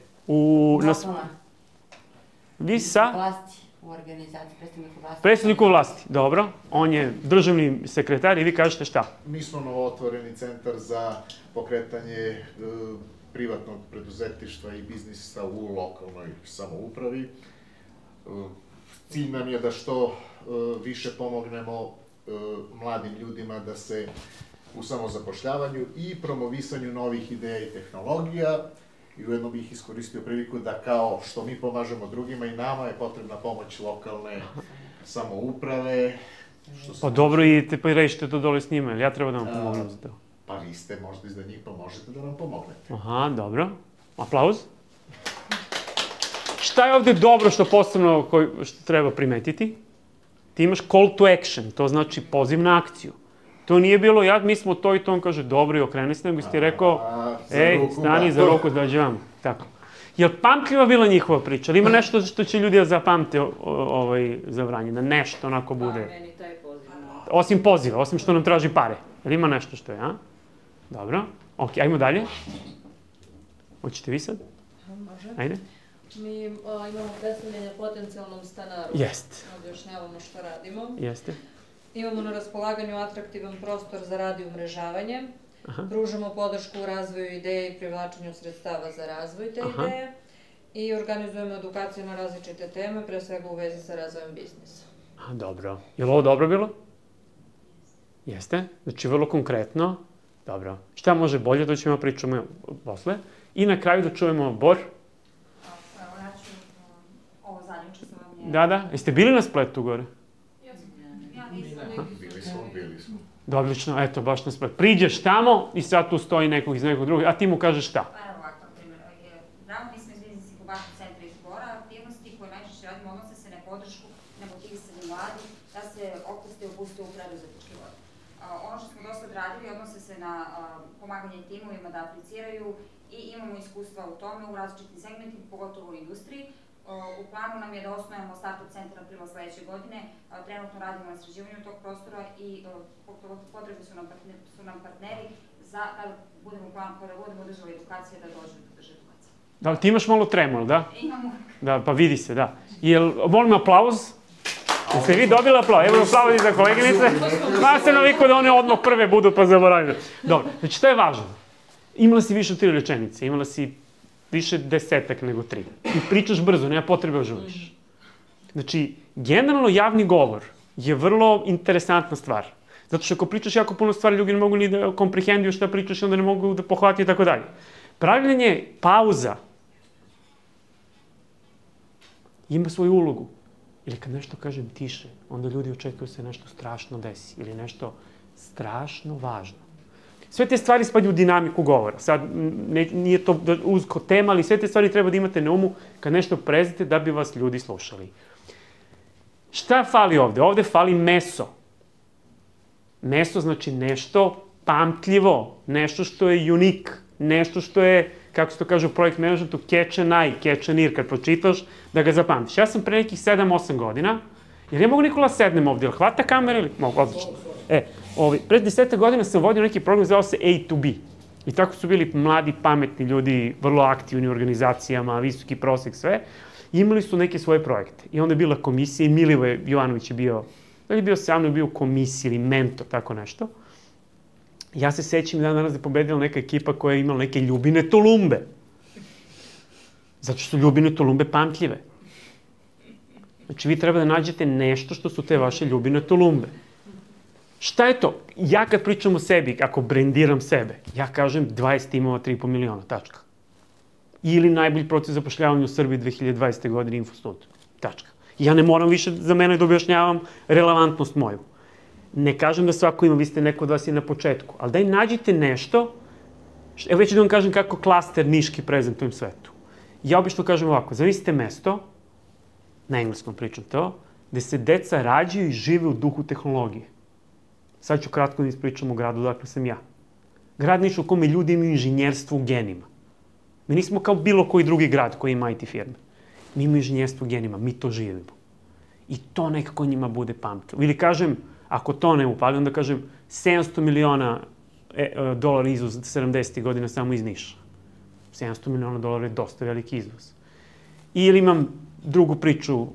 Vi sa? Vlasti, u organizaciji, predstavniku vlasti. Predstavniku vlasti, dobro. On je državni sekretar i vi kažete šta? Mi smo novootvoreni centar za pokretanje privatnog preduzetništva i biznisa u lokalnoj samoupravi. Cilj nam je da što više pomognemo mladim ljudima da se u samozapošljavanju i promovisanju novih ideja i tehnologija. I ujedno bih iskoristio priliku da kao što mi pomažemo drugima i nama je potrebna pomoć lokalne samouprave. Pa dobro, idite pa rešite to dole s njima, ili ja treba da vam pomognem za to? Pa vi ste možda iza njih, pa možete da nam pomognete. Aha, dobro. Aplauz. Šta je ovde dobro što posebno što treba primetiti? Ti imaš call to action, to znači poziv na akciju. To nije bilo, mi smo to i to, on kaže, dobro i okreni se, nego si ti rekao, stani za ruku, dođe vam. Tako. Je li pamtljiva bila njihova priča? Ali ima nešto što će ljudi da zapamte za Vranje, da nešto onako bude? Pa, meni taj poziv. Osim poziva, osim što nam traži pare. Jel ima nešto što je, a? Dobro. Ok, ajmo dalje. Hoćete vi sad? Može. Ajde. Mi imamo predstavljanje potencijalnom stanaru. Jeste. Objašnjavamo šta radimo. Jeste. Imamo na raspolaganju atraktivan prostor za rad i umrežavanje. Pružamo podršku u razvoju ideje i privlačenju sredstava za razvoj te ideje. I organizujemo edukacije na različite teme, pre svega u vezi sa razvojem biznisa. Dobro. Je li ovo dobro bilo? Jeste. Znači, vrlo konkretno. Dobro. Šta može bolje, to ćemo pričamo posle. I na kraju da čujemo Bor. Evo, ja ću ovo zadnje učestvovanje. Da. Jeste bili na spletu gore? Bili smo. Odlično, eto, baš na spletu. Priđeš tamo i sad tu stoji nekog iz nekog drugog, a ti mu kažeš šta? Pa evo ovako, na primjer, mi smo iz Biznis Inkubator centra iz Bora, aktivnosti koje najčešće radimo odnose se na podršku, na motivisanje mladi, da se opuste i opuste u preduzetnički vod. Ono što smo dosta radili odnose se na pomaganje timovima da apliciraju i imamo iskustva u tome u različitim segmentima, pogotovo u industriji. U planu nam je da osnovimo startup centar aprila sledeće godine. Trenutno radimo na sređivanju tog prostora i potrebni su nam partneri za kada budemo držali edukacije da dođu do drže edukacije. Da, ti imaš malo tremor, da? Imamo. Da, pa vidi se, da. Molim aplauz. Jeste vi dobili aplauz? Evo aplauz i za koleginice. Ma se naviku da one odmah prve budu pa zaboravljaju. Dobro, znači to je važno. Imala si više od 3 rečenice, imala si više 10 nego 3. I pričaš brzo, nema potrebe da žuliš. Znači, generalno javni govor je vrlo interesantna stvar. Zato što ako pričaš jako puno stvari, ljudi ne mogu ni da komprehenduju šta pričaš, onda ne mogu da pohvatiju i tako dalje. Pravljenje pauza ima svoju ulogu. Ili kad nešto kažem tiše, onda ljudi očekuju se nešto strašno desi ili nešto strašno važno. Sve te stvari spadaju u dinamiku govora. Sad, nije to uzko tema, ali sve te stvari treba da imate na umu kad nešto prezite da bi vas ljudi slušali. Šta fali ovde? Ovde fali meso. Meso znači nešto pamtljivo, nešto što je unik, nešto što je, kako se to kaže u projekt managementu, catch an eye, catch an ear, kad pročitaš, da ga zapamtiš. Ja sam pre nekih 7-8 godina, jer ja mogu Nikola sednem ovde, ili hvata kamera ili... Mogu, odlično. Pre 10 godina sam vodio neki program, zvao se A to B. I tako su bili mladi, pametni ljudi, vrlo aktivni u organizacijama, visoki prosek, sve. I imali su neke svoje projekte. I onda je bila komisija i Milivoje Jovanović je bio, da li je bio sa mnom, bio u komisiji ili mentor, tako nešto. Ja se sećam da danas je pobedila neka ekipa koja je imala neke Ljubine Tolumbe. Zato što su Ljubine Tolumbe pamtljive. Znači, vi treba da nađete nešto što su te vaše Ljubine Tolumbe. Šta je to? Ja kad pričam o sebi, ako brendiram sebe, ja kažem 20 timova, 3,5 miliona, tačka. Ili najbolji proces zapošljavanja u Srbiji 2020. godine Infostud, tačka. Ja ne moram više za mene da objašnjavam relevantnost moju. Ne kažem da svako ima, vi ste neko od vas i na početku, ali daj nađite nešto, evo već da vam kažem kako klaster niški prezentujem svetu. Ja obično kažem ovako, zamislite mesto, na engleskom pričam to, gde se deca rađaju i žive u duhu tehnologije. Sad ću kratko da ispričam o gradu dakle sam ja. Grad Niš u kome ljudi imaju inženjerstvo u genima. Mi nismo kao bilo koji drugi grad koji ima IT firme. Mi imamo inženjerstvo u genima, mi to živimo. I to nekako njima bude pamtilo. Ili kažem, ako to ne upali, onda kažem 700 miliona dolara izvoz 70. godina samo iz Niša. 700 miliona dolara je dosta veliki izvoz. Ili imam drugu priču,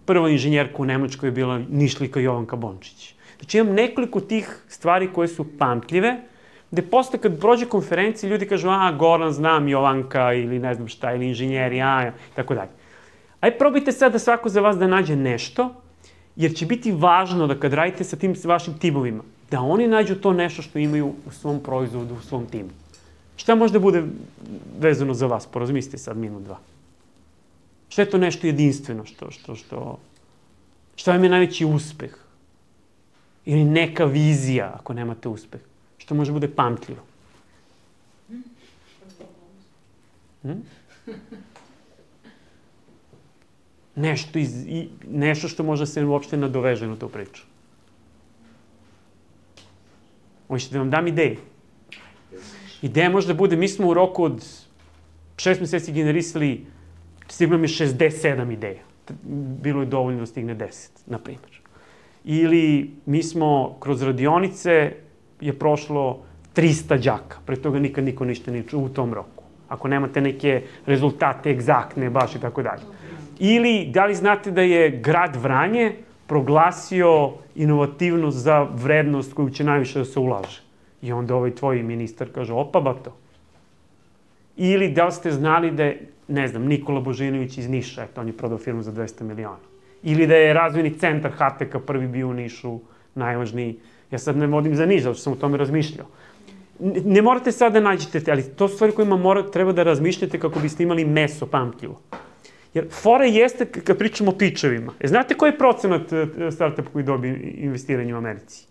prva inženjerka u Nemačkoj je bila Nišlika Jovanka Bončić. Znači imam nekoliko tih stvari koje su pamtljive, gde posle kad prođe konferencija ljudi kažu Goran, znam Jovanka ili ne znam šta, ili inženjeri, tako dalje. Ajde probajte sad da svako za vas da nađe nešto, jer će biti važno da kad radite sa tim vašim timovima, da oni nađu to nešto što imaju u svom proizvodu, u svom timu. Šta može da bude vezano za vas? Porazmislite sad minut, 2. Šta je to nešto jedinstveno? Šta vam je najveći uspeh? Ili neka vizija, ako nemate uspeh? Što može bude pamtljivo? Nešto što može se uopšte nadoveže na tu priču. Hoćete da vam dam ideje? Ideja može da bude, mi smo u roku od 6 meseci generisali, stiglo mi 67 ideja. Bilo je dovoljno da stigne 10, na primjer. Ili mi smo kroz radionice je prošlo 300 đaka, pre toga nikad niko ništa nije čuo u tom roku. ako nemate neke rezultate egzaktne baš i tako dalje. Ili da li znate da je grad Vranje proglasio inovativnost za vrednost koju će najviše da se ulaže. I onda ovaj tvoj ministar kaže, opa bato. Ili da li ste znali da je, ne znam, Nikola Božinović iz Niša, eto, on je prodao firmu za 200 miliona. Ili da je razvojni centar HTK prvi bio u Nišu, najvažniji. Ja sad ne vodim za Niš, zato što sam o tome razmišljao. Ne morate sad da nađete te, ali to su stvari kojima treba da razmišljate kako biste imali meso pamtljivo. Jer fora jeste, kad pričamo o pičevima, znate koji je procenat startup koji dobije investiranje u Americi?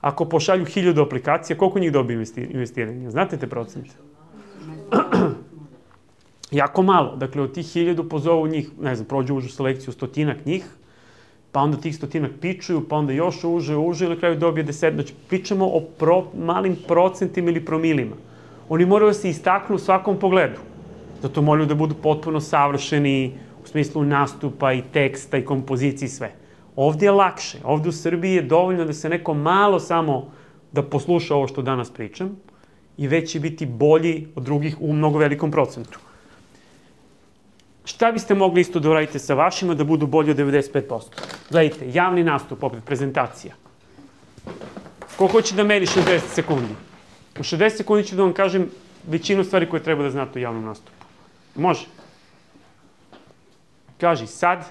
Ako pošalju 1000 aplikacija, koliko njih dobije investiranje? Znate te procente? Jako malo. Dakle, od tih 1000 pozovu njih, ne znam, prođu užu selekciju 100 njih, pa onda tih 100 pičuju, pa onda još uže i na kraju dobije 10. Znači, pričamo o malim procentima ili promilima. Oni moraju da se istaknu u svakom pogledu. Zato moraju da budu potpuno savršeni u smislu nastupa i teksta i kompozicije i sve. Ovdje je lakše. Ovdje u Srbiji je dovoljno da se neko malo samo da posluša ovo što danas pričam i već će biti bolji od drugih u mnogo velikom procentu. Šta biste mogli isto da uradite sa vašima da budu bolji od 95%? Gledajte, javni nastup, opet prezentacija. Ko hoće da meri 60 sekundi? U 60 sekundi ću da vam kažem većinu stvari koje treba da znate u javnom nastupu. Može? Kaži, sad.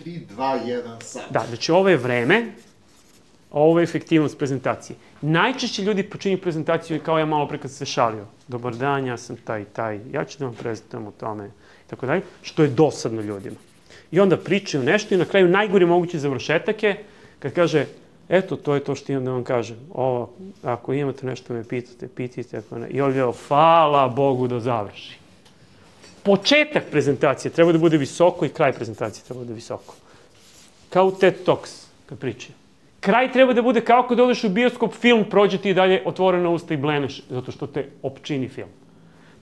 3, 2, 1, sad. Da, znači ovo je vreme, ovo je efektivnost prezentacije. Najčešće ljudi počinju prezentaciju kao ja malo pre kad se šalio. Dobar dan, ja sam taj, ja ću da vam prezentujem o tome, i tako dalje, što je dosadno ljudima. I onda pričaju nešto i na kraju najgori mogući završetak je kad kaže, eto, to je to što imam da vam kažem. Ovo, ako imate nešto me pitajte, ako ne. I ovdje, hvala Bogu da završi. Početak prezentacije treba da bude visoko i kraj prezentacije treba da bude visoko. Kao u TED Talks, kad pričaju. Kraj treba da bude kao kad odeš u bioskop, film, prođe ti i dalje otvorena usta i bleneš, zato što te opčini film.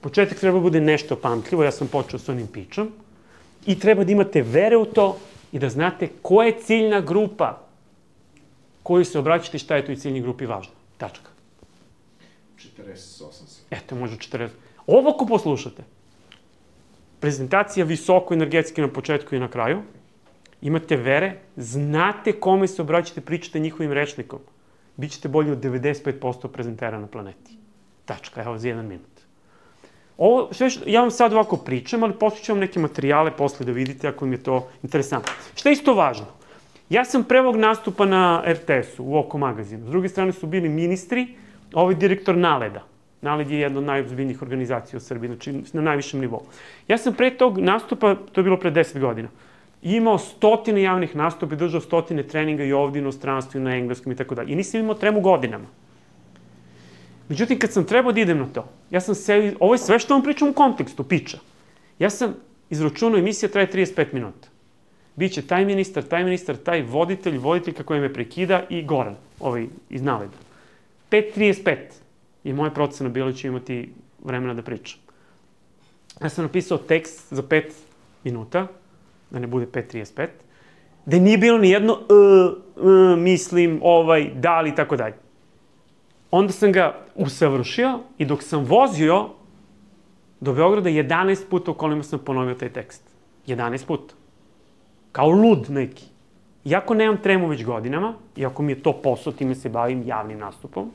Početak treba da bude nešto pamtljivo, ja sam počeo s onim pičom, i treba da imate vere u to i da znate koja je ciljna grupa koju se obraćate i šta je toj ciljnoj grupi važno. Tačka. 48 sekundi. Eto, može 40. Ovo ako poslušate, prezentacija visoko energetski na početku i na kraju, imate vere, znate kome se obraćate, pričate njihovim rečnikom, bit ćete bolji od 95% prezentera na planeti. Tačka, evo za 1 minut. Ovo, ja vam sad ovako pričam, ali posle ću vam neke materijale posle da vidite ako im je to interesantno. Šta je isto važno? Ja sam pre ovog nastupa na RTS-u, u Oko magazinu. S druge strane su bili ministri, a ovaj direktor Naleda. Naled je jedna od najozbiljnijih organizacija u Srbiji, znači na najvišem nivou. Ja sam pre tog nastupa, to je bilo pre 10 godina, imao 100 javnih nastupa i držao 100 treninga i ovdje u inostranstvu, na engleskom i tako dalje. I nisam imao tremu godinama. Međutim, kad sam trebao da idem na to, ja sam se, ovo je sve što vam pričam u kontekstu, piča. Ja sam izračunao, emisija traje 35 minuta. Biće taj ministar, taj voditelj kako me prekida i Goran, ovaj iz Naleda. 5:35 je moja procena bila, ću imati vremena da pričam. Ja sam napisao tekst za 5 minuta, da ne bude 5:35, da nije bilo ni jedno mislim, da li, tako dalje. Onda sam ga usavršio i dok sam vozio do Beograda 11 puta u kolima sam ponovio taj tekst. 11 puta. Kao lud neki. Iako nemam tremu već godinama, iako mi je to posao, time se bavim javnim nastupom,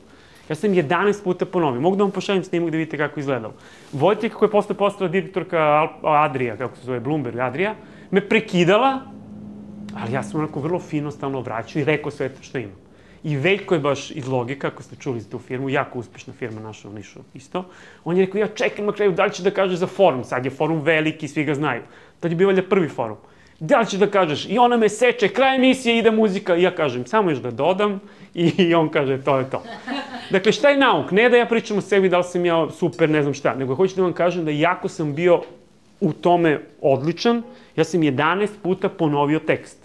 ja sam 11 puta ponovio. Mogu da vam pošaljem snimak da vidite kako je izgledalo. Voditelj kako je posle postala direktorka Adria, kako se zove Bloomberg Adria, me prekidala, ali ja sam onako vrlo fino stalno vraćao i rekao sve što imam. I Veljko je baš iz Logika, ako ste čuli za tu firmu, jako uspešna firma naša u Nišu isto. On je rekao, ja čekam na kraju, da li će da kaže za forum? Sad je forum veliki, svi ga znaju. Tad je bio valjda prvi forum. Da li će da kažeš? I ona me seče, kraj emisije, ide muzika. I ja kažem, samo još da dodam. I on kaže, to je to. Dakle, šta je nauk? Ne da ja pričam o sebi, da li sam ja super, ne znam šta. Nego hoću da vam kažem da jako sam bio u tome odličan. Ja sam 11 puta ponovio tekst.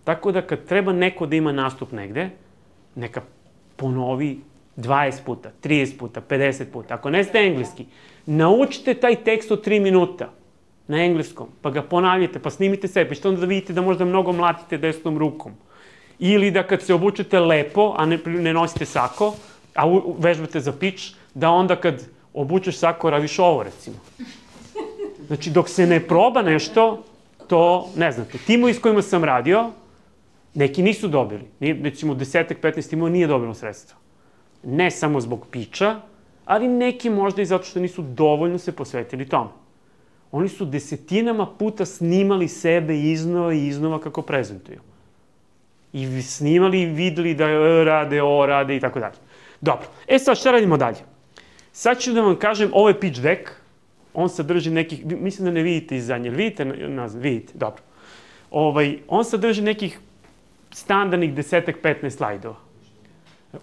Tako da kad treba neko da ima nastup negde, neka ponovi 20 puta, 30 puta, 50 puta. Ako ne znate engleski, naučite taj tekst od 3 minuta na engleskom, pa ga ponavljate, pa snimite sebe, pa ćete onda da vidite da možda mnogo mlatite desnom rukom. Ili da kad se obučete lepo, a ne nosite sako, a vežbate za pič, da onda kad obučeš sako, radiš ovo, recimo. Znači, dok se ne proba nešto, to ne znate. Timovi s kojima sam radio, neki nisu dobili. Recimo, 10-15 timova nije dobilo sredstva. Ne samo zbog piča, ali neki možda i zato što nisu dovoljno se posvetili tome. Oni su desetinama puta snimali sebe iznova kako prezentuju. I snimali i videli da rade i tako dalje. Dobro. Sad šta radimo dalje? Sad ću da vam kažem, ovo je pitch deck. On sadrži nekih, mislim da ne vidite iz zadnje, vidite nazad, vidite, dobro. On sadrži nekih standardnih 10-15 slajdova.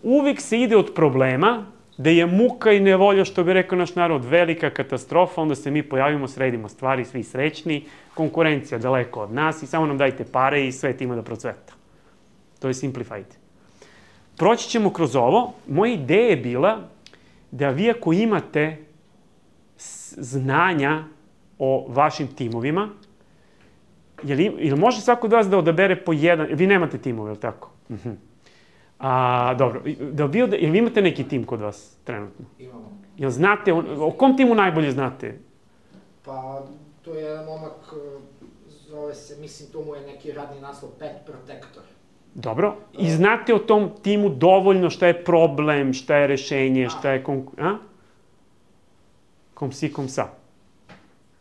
Uvijek se ide od problema, da je muka i nevolja, što bi rekao naš narod, velika katastrofa, onda se mi pojavimo, sredimo stvari, svi srećni, konkurencija daleko od nas i samo nam dajte pare i svet ima da procveta. To je simplified. Proći ćemo kroz ovo. Moja ideja je bila da vi ako imate znanja o vašim timovima, ili može svako od vas da odabere po jedan, vi nemate timove, je li tako? Dobro, jel vi imate neki tim kod vas trenutno? Imamo. Jel znate, o kom timu najbolje znate? Pa, to je jedan momak, zove se, mislim, to mu je neki radni naslov, Pet Protector. Dobro, i znate o tom timu dovoljno šta je problem, šta je rešenje, šta je kom si, kom sa.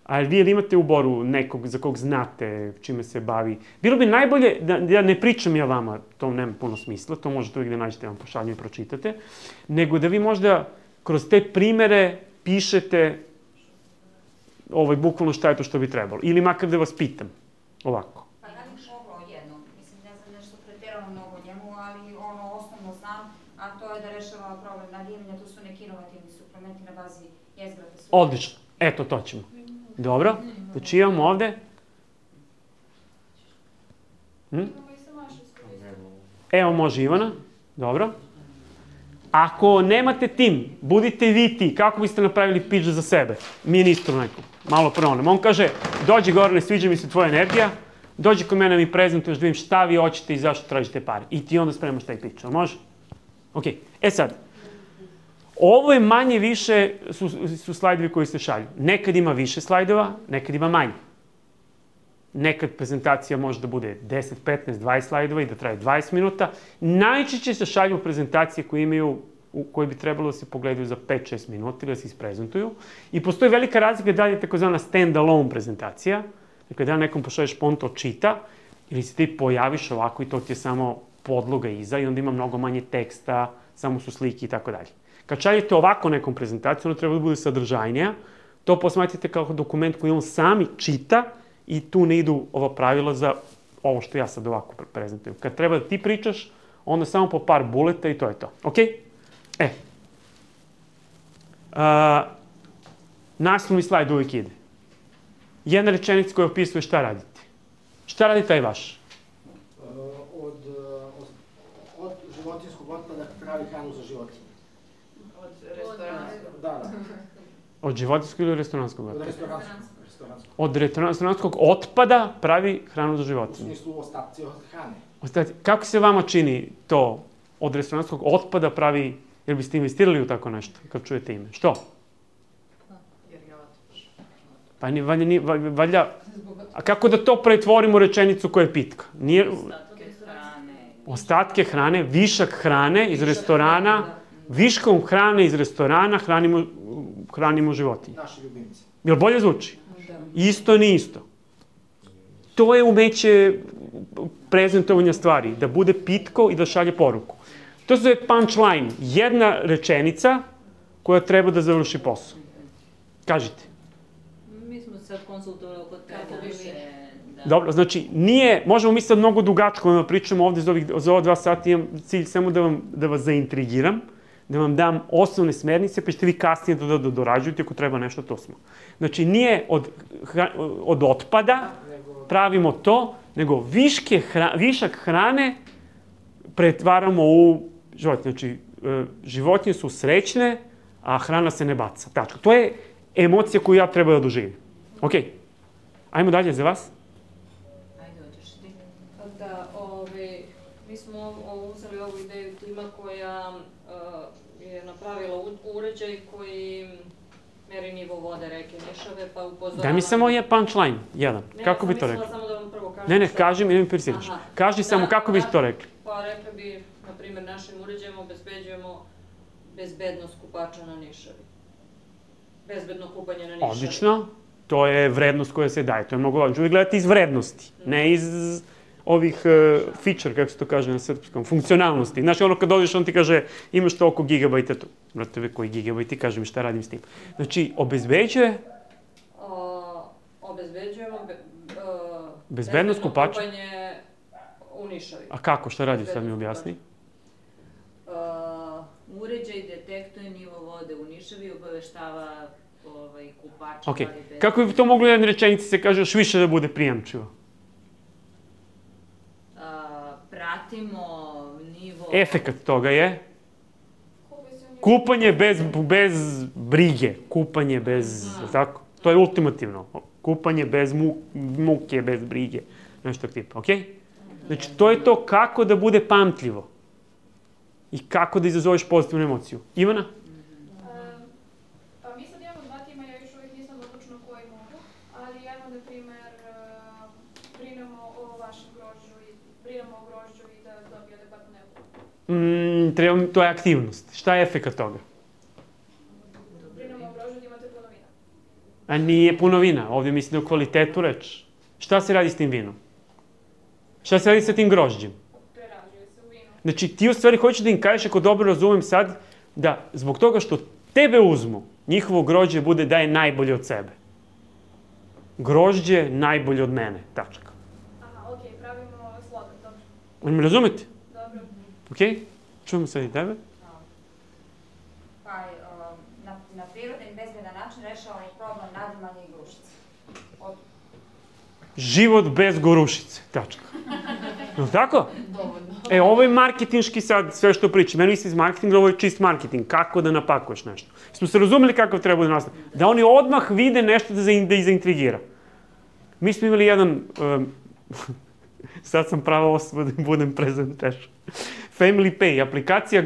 A vi imate u Boru nekog za kog znate čime se bavi? Bilo bi najbolje, da ne pričam ja vama, to nema puno smisla, to možete uvijek da nađete, vam pošaljem i pročitate, nego da vi možda kroz te primere pišete bukvalno šta je to što bi trebalo. Ili makar da vas pitam, ovako. Pa ja bih mogla jedno, mislim, ne znam nešto pretjerano mnogo o njemu, ali osnovno znam, a to je da rešava problem nadimanja, to su neki inovativni suplementi na bazi jezgrade. Odlično, eto to ćemo. Dobro, znači imamo ovde. Evo može Ivana, dobro. Ako nemate tim, budite vi ti, kako biste napravili pitch za sebe? Ministru nekom, malo pronem. On kaže, dođi gore, ne sviđa mi se tvoja energija, dođi kod mene mi prezentuješ da vidim šta vi hoćete i zašto tražite pare. I ti onda spremaš taj pitch, ali može? Ok, sad. Ovo je manje više, su slajdovi koji se šalju. Nekad ima više slajdova, nekad ima manje. Nekad prezentacija može da bude 10, 15, 20 slajdova i da traje 20 minuta. Najčešće se šalju prezentacije koje bi trebalo da se pogledaju za 5-6 minuta ili da se isprezentuju. I postoji velika razlika da li je takozvana stand-alone prezentacija, dakle da nekom pošalješ on to čita, ili se ti pojaviš ovako i to ti je samo podloga iza i onda ima mnogo manje teksta, samo su slike i tako dalje. Kad šaljete ovako nekom prezentaciju, ona treba da bude sadržajnija, to posmatrite kao dokument koji on sami čita i tu ne idu ova pravila za ovo što ja sad ovako prezentujem. Kad treba da ti pričaš, onda samo po par buleta i to je to. Ok? Naslovni slajd uvijek ide. Jedna rečenica koja opisuje šta radite. Šta radi taj vaš? Od životinjskog otpada pravi hranu za životinje. Od restoranskog. Da. Od životinjskog ili restoranskog otpada? Od restoranskog. Od restoranskog otpada pravi hranu za životinje. U smislu ostaci od hrane. Kako se vama čini to od restoranskog otpada pravi, jer biste investirali u tako nešto, kad čujete ime? Što? Jer je otpaš. Pa valjda, a kako da to pretvorimo u rečenicu koja je pitka? Ostatke hrane, višak hrane iz restorana, viškom hrane iz restorana hranimo životinje. Naši ljubimci. Jel bolje zvuči? Isto ni isto. To je umeće prezentovanja stvari, da bude pitko i da šalje poruku. To se zove punchline, jedna rečenica koja treba da završi posao. Kažite. Mi smo sad konsultovali oko te naše... Dobro, znači, možemo mi sad mnogo dugačko da pričamo ovde za ova 2 sata, imam cilj samo da vas zaintrigiram, da vam dam osnovne smernice, pa ćete vi kasnije da dorađujete ako treba nešto, to smo. Znači, nije od otpada pravimo to, nego višak hrane pretvaramo u životinje. Znači, životinje su srećne, a hrana se ne baca. Tačka. To je emocija koju ja treba da doživim. Ok, ajmo dalje za vas. Ajde, hoćeš ti. Da, mi smo uzeli ovu ideju tima koja je napravila uređaj koji Nišave, pa upozoravamo... Daj mi samo je punchline, jedan. Kako bi to rekli? Ne, ja sam mislila samo da vam prvo kažem... Ne, kaži mi, idem persiriš. Kaži samo kako bi to rekli. Pa rekli bi, na primjer, našim uređajem obezbeđujemo bezbednost kupača na Nišavi. Bezbedno kupanje na Nišavi. Odlično. To je vrednost koja se daje. To je mnogo važno. Uvijek gledate iz vrednosti, ne iz ovih feature, kako se to kaže na srpskom, funkcionalnosti. Znači, ono kad dođeš, on ti kaže imaš toliko gigabajta tu. Vrate, koji gigabajti, kaže mi šta radim s tim. Znači, obezbeđuje... Obezbeđujemo bezbednost kupača kupanje u Nišavi. A kako? Šta radi? Sad mi objasni. Uređaj detektuje nivo vode u Nišavi i obaveštava kupača. Ok. Kako bi to moglo u jednoj rečenici se kaže još više da bude prijamčivo? Pratimo nivo... Efekat toga je kupanje bez brige. Kupanje bez... Tako? To je ultimativno. Kupanje bez muke, bez brige. Nešto tipa, ok? Znači, to je to kako da bude pamtljivo. I kako da izazoveš pozitivnu emociju. Ivana? Pa mi sad imamo 2 tima, ja još uvijek nisam odlučna koji mogu, ali evo, na primjer, brinemo o vašem grožđu i da dobije adekvatnu nebu. To je aktivnost. Šta je efekat toga? Brinemo o grožđu da imate puno vina. A nije puno vina. Ovdje mislim o kvalitetu reči. Šta se radi s tim vinom? Šta se radi sa tim grožđem? Prerađuje se u vinu. Znači, ti u stvari hoćeš da im kažeš, ako dobro razumem sad, da zbog toga što tebe uzmu, njihovo grožđe bude da je najbolje od sebe. Grožđe najbolje od mene. Tačka. Aha, okej, pravimo slogan, dobro. Ali me razumete? Dobro. Okej? Čujemo sad i tebe. Pa, na prirodan i bezbedan način rešavamo problem nadimanja i grušice. Život bez gorušice. Tačka. No tako? Dovoljno. Ovo je marketinški sad sve što pričam. Meni se iz marketinga, ovo je čist marketing. Kako da napakuješ nešto. Smo se razumeli kakav treba da nastavi. Da oni odmah vide nešto da ih zaintrigira. Mi smo imali jedan... sad sam prava osoba da budem prezentation. Family Pay, aplikacija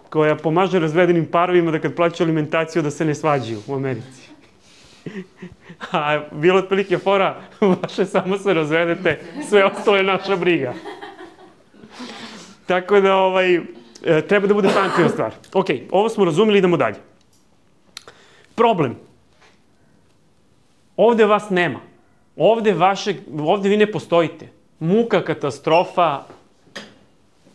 koja pomaže razvedenim parovima da kad plaćaju alimentaciju da se ne svađaju u Americi. A bilo otprilike fora, vaše samo se razvedete, sve ostalo je naša briga. Tako da treba da bude pamtljiva stvar. Ok, ovo smo razumeli, idemo dalje. Problem. Ovde vas nema. Ovde vi ne postojite. Muka, katastrofa,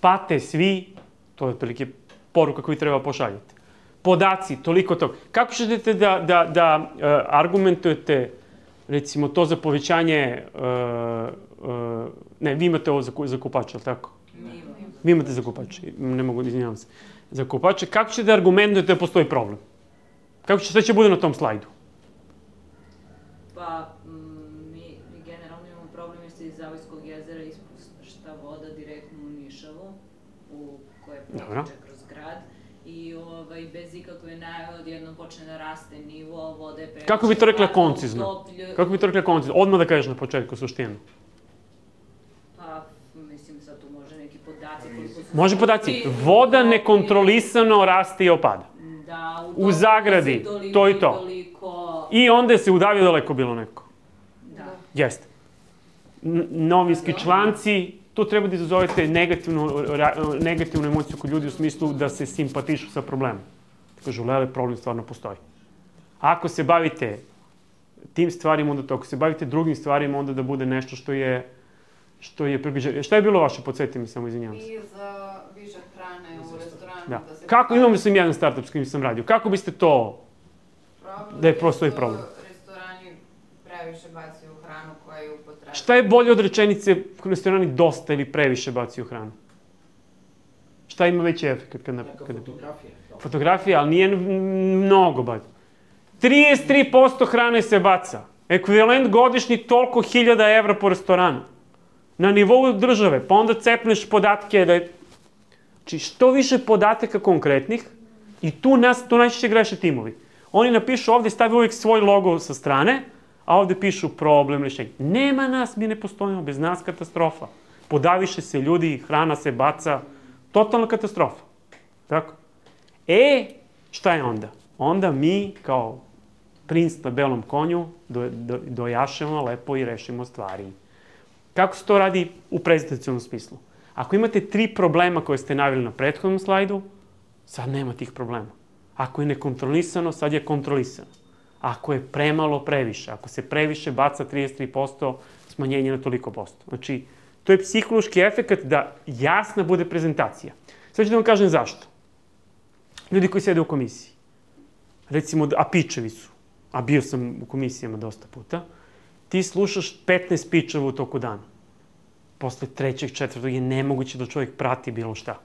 pate svi, to je otprilike poruka koju treba pošaljati. Podaci, toliko toga. Kako ćete da argumentujete, recimo, to za povećanje... Ne, vi imate ovo za kupače, ali tako? Vi imate za kupače, ne mogu, izvinjavam se. Za kupače, kako ćete da argumentujete da postoji problem? Šta će bude na tom slajdu? Pa, mi generalno imamo problem jer se iz Zavojskog jezera ispušta voda direktno u Nišavu, koja protiče kroz grad. I bez ikakve najave odjednom počne da raste nivo vode. Kako bi to rekla koncizno? Kako bi to rekla koncizno? Odmah da kažeš na početku suštinu. Pa, mislim, sad tu može neki podaci. Može podaci. Voda nekontrolisano raste i opada. Da, u zagradi, to i to. I onda se udavio daleko bilo neko. Da. Jeste. Novinski članci, to treba da izazovete negativnu emociju kod ljudi u smislu da se simpatišu sa problemom. Kažu, lele, problem stvarno postoji. Ako se bavite tim stvarima, onda to. Ako se bavite drugim stvarima, onda da bude nešto što je približeno. Šta je bilo vaše, podsjeti mi samo, izvinjavam se. I za višak hrane u restoranu. Da. Kako, imamo sam jedan startup s kojim sam radio. Kako biste to, da je postoji problem? Restorani previše bacaju hranu koja je upotrebna. Šta je bolje od rečenice restorani dosta ili previše bacaju hranu? Šta ima veći efekt? Fotografija, ali nije mnogo baca. 33% hrane se baca. Ekvivalent godišnji toliko 1000 evra po restoranu. Na nivou države, pa onda cepneš podatke da je... Znači, što više podataka konkretnih i tu najčešće greše timovi. Oni napišu ovdje, stavi uvijek svoj logo sa strane, a ovdje pišu problem, rješenje. Nema nas, mi ne postojimo, bez nas katastrofa. Podaviše se ljudi, hrana se baca, totalna katastrofa. Tako? Šta je onda? Onda mi kao princ na belom konju, dojašemo lepo i rešimo stvari. Kako se to radi u prezentacionom smislu? Ako imate 3 problema koje ste naveli na prethodnom slajdu, sad nema tih problema. Ako je nekontrolisano, sad je kontrolisano. Ako je premalo, previše. Ako se previše baca 33%, smanjenje na toliko posto. Znači, to je psihološki efekt da jasna bude prezentacija. Sve ću da vam kažem zašto. Ljudi koji sede u komisiji, recimo, a pičevi su, a bio sam u komisijama dosta puta, ti slušaš 15 pičeva u toku dana. Posle 3., 4. je nemoguće da čovjek prati bilo šta.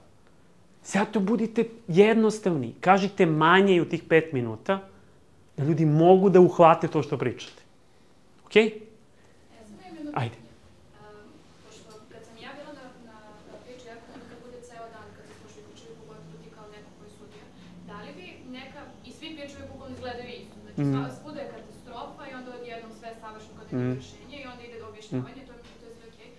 Zato budite jednostavni. Kažite manje i u tih 5 minuta, da ljudi mogu da uhvate to što pričate. Okej? Ajde. Pošto kad sam ja bila na priču, ja kad bude ceo dan, kad se slušaju pičevi, pogotovo ti kao neko koji je sudija, da li bi neka, i svi pičevi bukvalno izgledaju isto, znači svuda je katastrofa i onda odjednom sve savršeno kada je rešenje i onda ide do objašnjavanja, to je sve okej.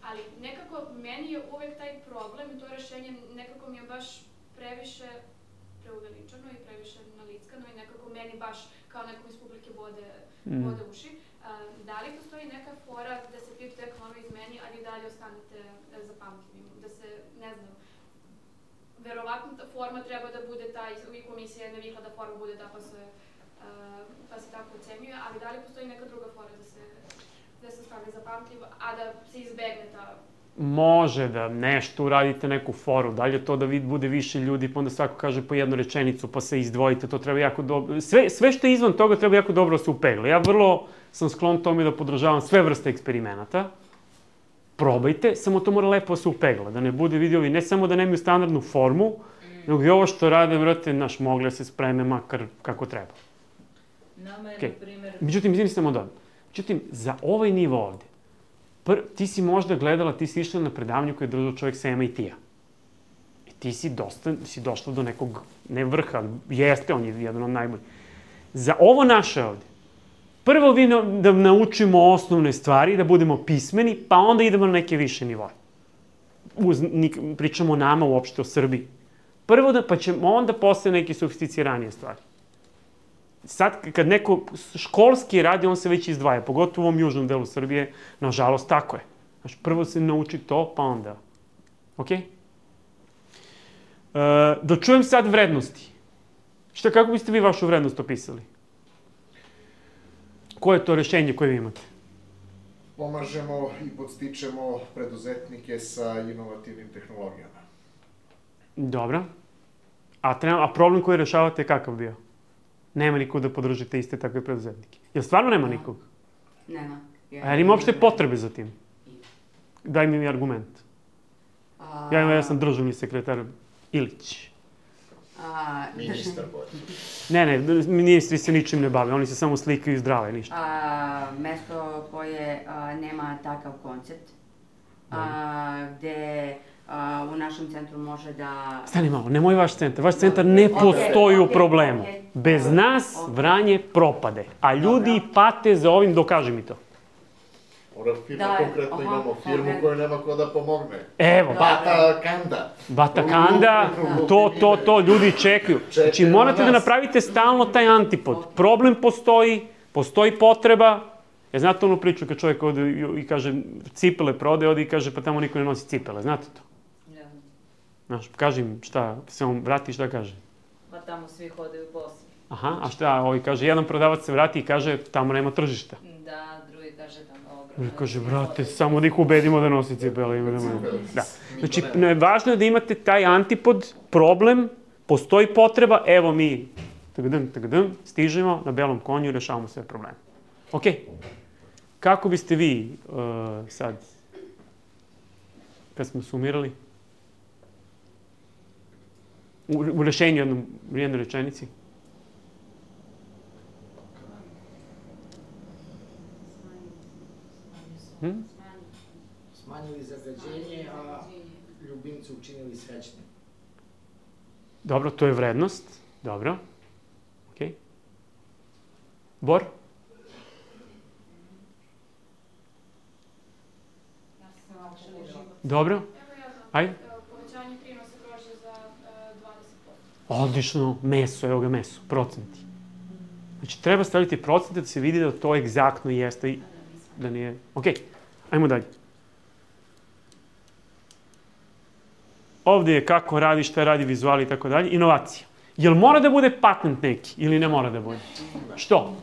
Ali nekako meni je uvek taj problem i to rešenje nekako mi je baš previše preuveličano i previše nalickano i nekako meni baš kao nekom iz publike bode uši. Da li postoji neka fora da se PIP tek malo izmeni, ali i dalje ostanete zapamtljivi? Da se, ne znam, verovatno ta forma treba da bude ta, i komisija je navikla da forma bude ta pa se tako ocenjuje, ali da li postoji neka druga fora da se ostane zapamtljivo, a da se izbegne ta... Može da nešto uradite, neku foru, dalje to da bude više ljudi, pa onda svako kaže po jednu rečenicu, pa se izdvojite, to treba jako dobro... Sve što je izvan toga treba jako dobro da se upegla. Ja vrlo sam sklon tome da podržavam sve vrste eksperimenata. Probajte, samo to mora lepo se upegla, da ne bude vidiovi, ne samo da nemaju standardnu formu, nego i ovo što rade, vrate, mogle se spreme makar kako treba. Nama je, na primjer... Međutim, izvini samo da. Međutim, za ovaj nivo ovde, ti si možda gledala, ti si išla na predavanju koje je držao čovjek sa MIT-a. I ti si došla do nekog, ne vrha, ali jeste, on je jedan od najboljih. Za ovo naše ovde, prvo da naučimo osnovne stvari, da budemo pismeni, pa onda idemo na neke više nivoje. Pričamo o nama uopšte, o Srbiji. Prvo pa ćemo onda posle neke sofisticiranije stvari. Sad, kad neko školski radi, on se već izdvaja, pogotovo u ovom južnom delu Srbije, nažalost, tako je. Znači, prvo se nauči to, pa onda. Okej? Da čujem sad vrednosti. Kako biste vi vašu vrednost opisali? Koje je to rešenje koje vi imate? Pomažemo i podstičemo preduzetnike sa inovativnim tehnologijama. Dobro. A problem koji rešavate je kakav bio? Nema nikog da podržite iste takve preduzetnike. Jel stvarno nema nikog? Nema. A jel ima uopšte potrebe za tim? Daj mi argument. Ja sam državni sekretar Ilić. Ministar bolje. Ne, ministri se ničim ne bave, oni se samo slikaju zdrave, ništa. Mesto koje nema takav koncept, gde u našem centru može da... Stani malo, nemoj vaš centar. Vaš centar ne postoji u problemu. Bez nas Vranje propade. A ljudi pate za ovim, dokaži mi to. Ora firma, konkretno imamo firmu koju nema ko da pomogne. Evo. Batakanda, to, ljudi čekaju. Znači, morate da napravite stalno taj antipod. Problem postoji potreba. Znate onu priču kad čovjek ode i kaže cipele prodaje, ode i kaže pa tamo niko ne nosi cipele, znate to? Znaš, kaži im šta, se on vrati šta kaže? Ma tamo svi hodaju bosi. Aha, a šta, ovaj kaže, jedan prodavac se vrati i kaže tamo nema tržišta. Da, drugi kaže tamo ogromno. Kaže, brate, samo da ih ubedimo da nosi cipele. Da. Znači, važno je da imate taj antipod, problem, postoji potreba, evo mi, stižemo na belom konju i rešavamo sve probleme. Okej. Kako biste vi sad, kad smo sumirali, u rešenju jednoj rečenici? Smanjili zagađenje, a ljubimce učinili srećnim. Dobro, to je vrednost. Dobro. Okej. Bor? Dobro. Ajde. Povećanje prinosa grožđa za 20%. Odlično. Meso, evo ga meso. Procenti. Znači, treba staviti procente da se vidi da to egzaktno jeste i da nije... Ok, ajmo dalje. Ovdje je kako radi, šta radi, vizuali i tako dalje. Inovacija. Jel mora da bude patent neki ili ne mora da bude? Što?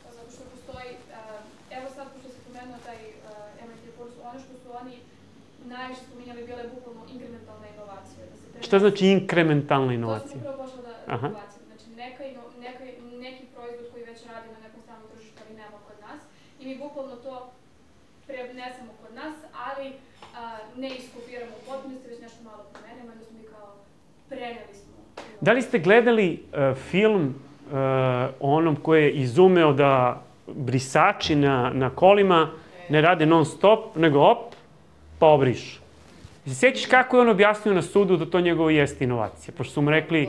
Zato što postoji, evo sad pošto se pomenuo taj MIT kurs, ono što su oni najviše spominjali bile bukvalno inkrementalne inovacije. Šta znači inkrementalna inovacija? To sam upravo pošla da inovacija. Znači neki proizvod koji već radi na nekom stranom tržištu ali nema kod nas i mi bukvalno to prenesemo kod nas, ali ne iskopiramo u potpunosti, već nešto malo promenimo, onda smo mi kao preneli smo. Da li ste gledali film onom koji je izumeo da brisači na kolima ne rade non stop, nego op, pa obrišu? Se sjećaš kako je on objasnio na sudu da to njegovo jeste inovacija? Pošto su mu rekli...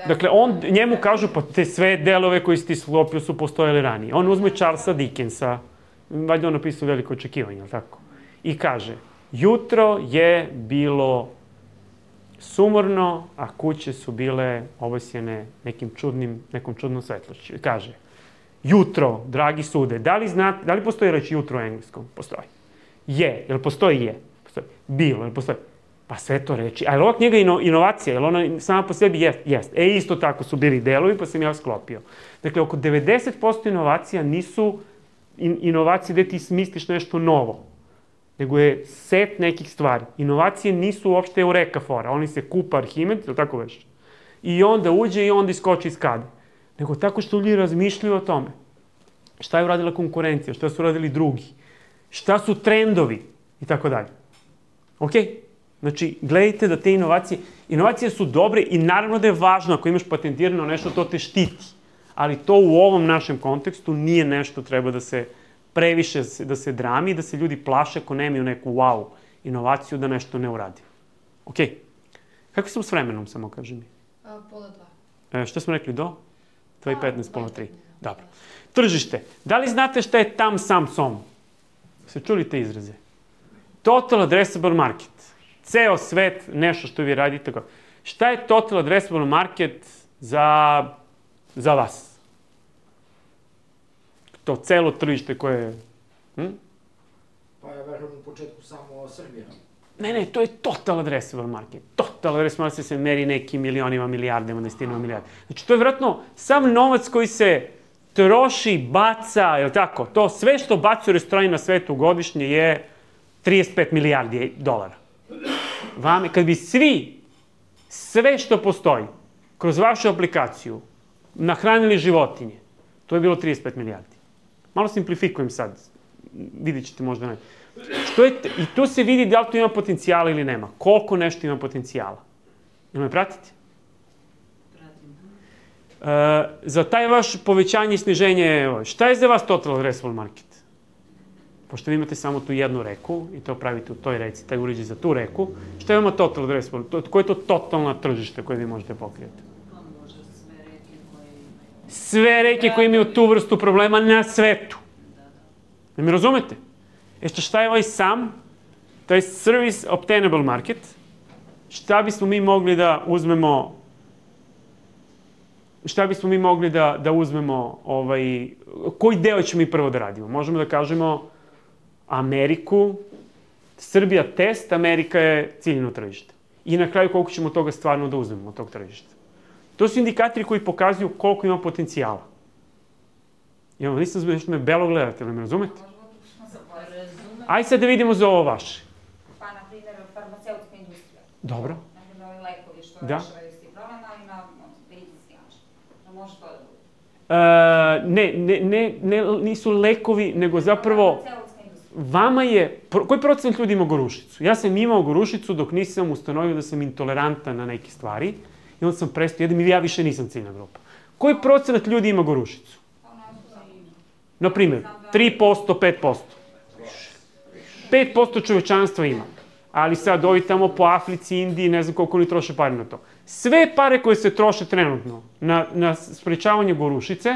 Dakle, njemu kažu, pa te sve delove koji si ti sklopio su postojali ranije. On uzme Charlesa Dickensa, valjda on napisao Veliko očekivanje, ali tako? I kaže, jutro je bilo sumorno, a kuće su bile obasjene nekom čudnom svetlošću. Kaže, jutro, dragi sude, da li postoji reč jutro u engleskom? Postoji. Je, jel postoji je? Postoji. Bilo, jel postoji? Pa sve to reči. A je li ova knjiga inovacija? Je li ona sama po sebi? Jest. Isto tako su bili delovi, pa sam ja sklopio. Dakle, oko 90% inovacija nisu inovacije gde ti smisliš nešto novo, nego je set nekih stvari. Inovacije nisu uopšte eureka fora. Oni se kupa Arhimed, ili tako već? I onda uđe i onda iskoči iz kade. Nego tako što ljudi razmišljaju o tome. Šta je uradila konkurencija? Šta su uradili drugi? Šta su trendovi? I tako dalje. Okej? Znači, gledajte da te inovacije su dobre i naravno da je važno ako imaš patentirano nešto, to te štiti. Ali to u ovom našem kontekstu nije nešto treba da se previše da se drami, da se ljudi plaše ako nemaju neku wow inovaciju da nešto ne uradi. Ok. Kako sam s vremenom, samo kaži mi? Pola 2. Šta smo rekli, do? 2:15, pola 3. Dobro. Tržište. Da li znate šta je tam, sam, som? Se čuli te izraze? Total addressable market. Ceo svet, nešto što vi radite. Šta je total addressable market za vas? To celo tržište koje je... Pa ja verujem u početku samo Srbija. Ne, to je total addressable market. Total addressable market se meri nekim milionima, milijardima, desetinama milijarda. Znači, to je vjerojatno sam novac koji se troši, baca, je li tako? To sve što baci u restorani na svetu godišnje je 35 milijardi dolara. Kad bi sve što postoji, kroz vašu aplikaciju, nahranili životinje, to je bilo 35 milijardi. Malo simplifikujem sad, vidjet ćete možda ne. I tu se vidi da li to ima potencijala ili nema. Koliko nešto ima potencijala. Jel me pratite? Za taj vaš povećanje i sniženje, šta je za vas total addressable market? Pošto vi imate samo tu jednu reku i to pravite u toj reci, taj uređaj za tu reku, šta je vama total addressable? Koje je to totalno tržište koje vi možete pokrijeti? Sve reke koje imaju tu vrstu problema na svetu. Ne mi razumete? Šta je ovaj sam? To je service obtainable market. Šta bismo mi mogli da uzmemo koji deo ćemo mi prvo da radimo? Možemo da kažemo Ameriku, Srbija test, Amerika je ciljno tržište. I na kraju koliko ćemo toga stvarno da uzmemo od tog tržišta. To su indikatori koji pokazuju koliko ima potencijala. Nisam zbog nešto me belo gledate, ali me razumete? Ajde sad da vidimo za ovo vaše. Pa, na primjer, farmaceutska industrija. Dobro. Na primjer, ovi lekovi što rešavaju s tih problema, ali na medicinski način. Može to da bude? Ne, nisu lekovi, nego zapravo... Vama je... Koji procent ljudi ima gorušicu? Ja sam imao gorušicu dok nisam ustanovio da sam intolerantan na neke stvari i onda sam prestao jedem i ja više nisam ciljna grupa. Koji procent ljudi ima gorušicu? Na primjer, 3%, 5%. 5% čovečanstva ima. Ali sad ovi tamo po Africi, Indiji, ne znam koliko oni troše pare na to. Sve pare koje se troše trenutno na sprečavanje gorušice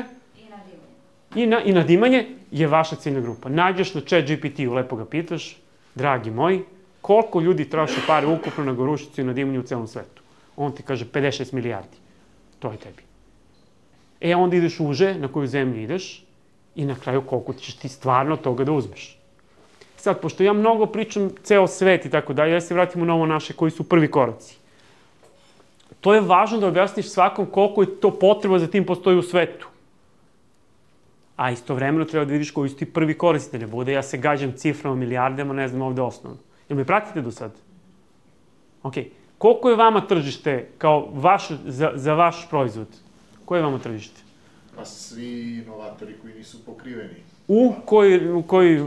i nadimanje je vaša ciljna grupa. Nađeš na ChatGPT-u, lepo ga pitaš, dragi moji, koliko ljudi troše pare ukupno na gorušicu i nadimanje u celom svetu. On ti kaže 56 milijardi. To je tebi. Onda ideš uže na koju zemlju ideš i na kraju koliko ćeš ti stvarno toga da uzmeš. Sad, pošto ja mnogo pričam ceo svet i tako dalje, ja se vratim u novo naše koji su prvi koraci. To je važno da objasniš svakom koliko je to potreba za tim postoji u svetu. A istovremeno treba da vidiš koji su ti prvi korisni, da ne bude ja se gađam ciframa, milijardama, ne znam ovde osnovno. Jel me pratite do sad? Ok. Koliko je vama tržište kao za vaš proizvod? Koje je vama tržište? Pa svi inovatori koji nisu pokriveni. U koji...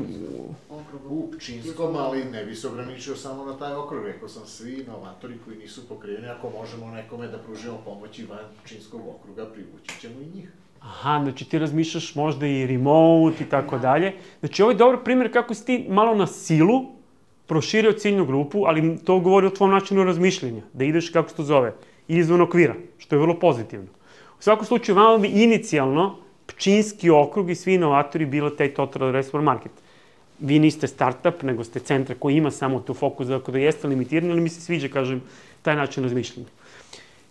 U Pčinjskom, ali ne bi se ograničio samo na taj okrug. Rekao sam svi inovatori koji nisu pokriveni, ako možemo nekome da pružimo pomoći van Pčinjskog okruga, privući ćemo i njih. Aha, znači ti razmišljaš možda i remote i tako dalje. Znači ovo je dobar primjer kako si ti malo na silu proširio ciljnu grupu, ali to govori o tvom načinu razmišljenja, da ideš, kako se to zove, izvan okvira, što je vrlo pozitivno. U svakom slučaju, vama bi inicijalno Pčinjski okrug i svi inovatori bilo taj Total Addressable Market. Vi niste startup, nego ste centar koji ima samo tu fokus, dakle da jeste limitirani, ali mi se sviđa, kažem, taj način razmišljanja.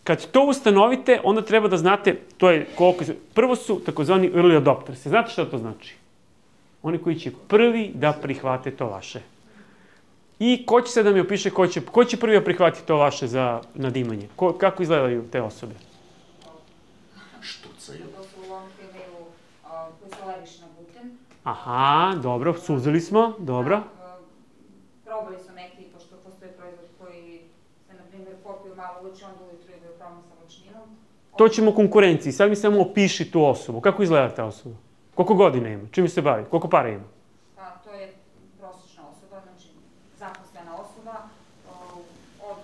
Kad to ustanovite, onda treba da znate, to je koliko... Prvo su takozvani early adopters. Znate šta to znači? Oni koji će prvi da prihvate to vaše. I ko će se da mi opiše, ko će prvi da prihvati to vaše za nadimanje? Kako izgledaju te osobe? Štucaju. To su lomke koji su alergični na gluten. Aha, dobro, suzili smo, dobro. Probali su neki, pošto postoje proizvod koji se, na primjer, popiju malo voće, onda ujutru idu probam sa voćninom. To ćemo konkurenciji. Sad mi samo opiši tu osobu. Kako izgleda ta osoba? Koliko godina ima? Čime se bavi? Koliko para ima? Pa, to je prosječna osoba, znači zaposlena osoba od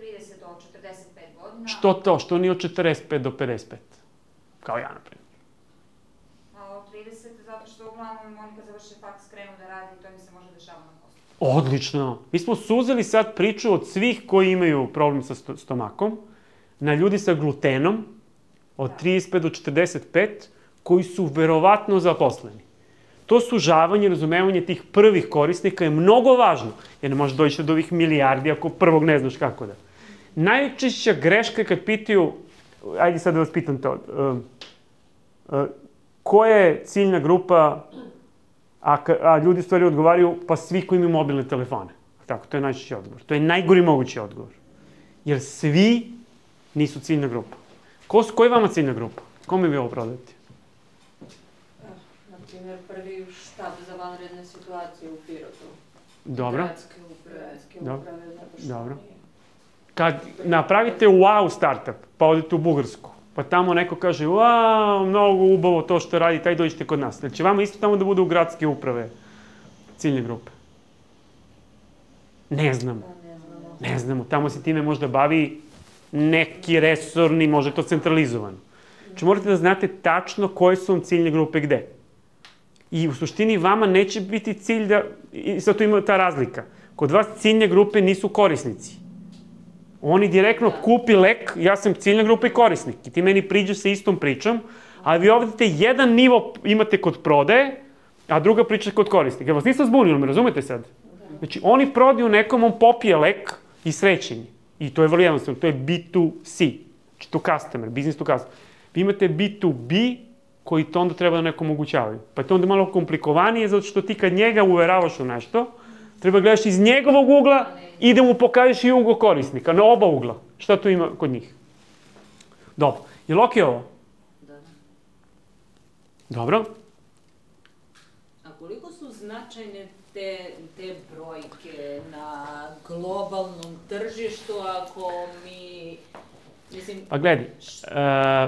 30 do 45 godina. Što to? Što nije od 45 do 55? Kao ja, naprimjer. Od 30, zato što uglavnom oni kad završe faks krenu da radi i to mi se može dešavati na poslu. Odlično. Mi smo suzeli sad priču od svih koji imaju problem sa stomakom, na ljudi sa glutenom, od 35 do 45, koji su verovatno zaposleni. To sužavanje, razumevanje tih prvih korisnika je mnogo važno, jer ne možeš doći do ovih milijardi ako prvog ne znaš kako da. Najčešća greška je kad pitaju, ajde sad da vas pitam to, koja je ciljna grupa, a ljudi u stvari odgovaraju, pa svi koji imaju mobilne telefone. Tako, to je najčešći odgovor. To je najgori mogući odgovor. Jer svi nisu ciljna grupa. Koja je vama ciljna grupa? Kome vi ovo prodajete? Na primjer, prvi štab za vanredne situacije u Pirotu. Dobro. Gradske uprave, zato što dobro. Kad napravite wow startup, pa odete u Bugarsku, pa tamo neko kaže, wow, mnogo ubavo to što radi, taj dođete kod nas. Znači, vama isto tamo da bude u gradske uprave ciljne grupe? Ne znamo. Ne znamo. Tamo se time možda bavi neki resorni, može to centralizovano. Znači, morate da znate tačno koje su vam ciljne grupe gde. I u suštini vama neće biti cilj da... I sad tu ima ta razlika. Kod vas ciljne grupe nisu korisnici. Oni direktno kupi lek, ja sam ciljna grupa i korisnik. I ti meni priđeš sa istom pričom, ali vi ovdje jedan nivo imate kod prodaje, a druga priča kod korisnika. Ja vas nisam zbunio, me razumete sad? Znači, oni prodaju nekom, on popije lek i srećenje. I to je vrlo jednostavno, to je B2C. Znači, to customer, business to customer. Vi imate B2B, koji to onda treba da nekom omogućavaju. Pa je to onda malo komplikovanije, zato što ti kad njega uveravaš u nešto, treba gledaš iz njegovog ugla i da mu pokažeš i uglo korisnika, na oba ugla. Šta tu ima kod njih? Dobro. Je li okej ovo? Da. Dobro. A koliko su značajne te brojke na globalnom tržištu ako mi... Mislim, Pa gledaj.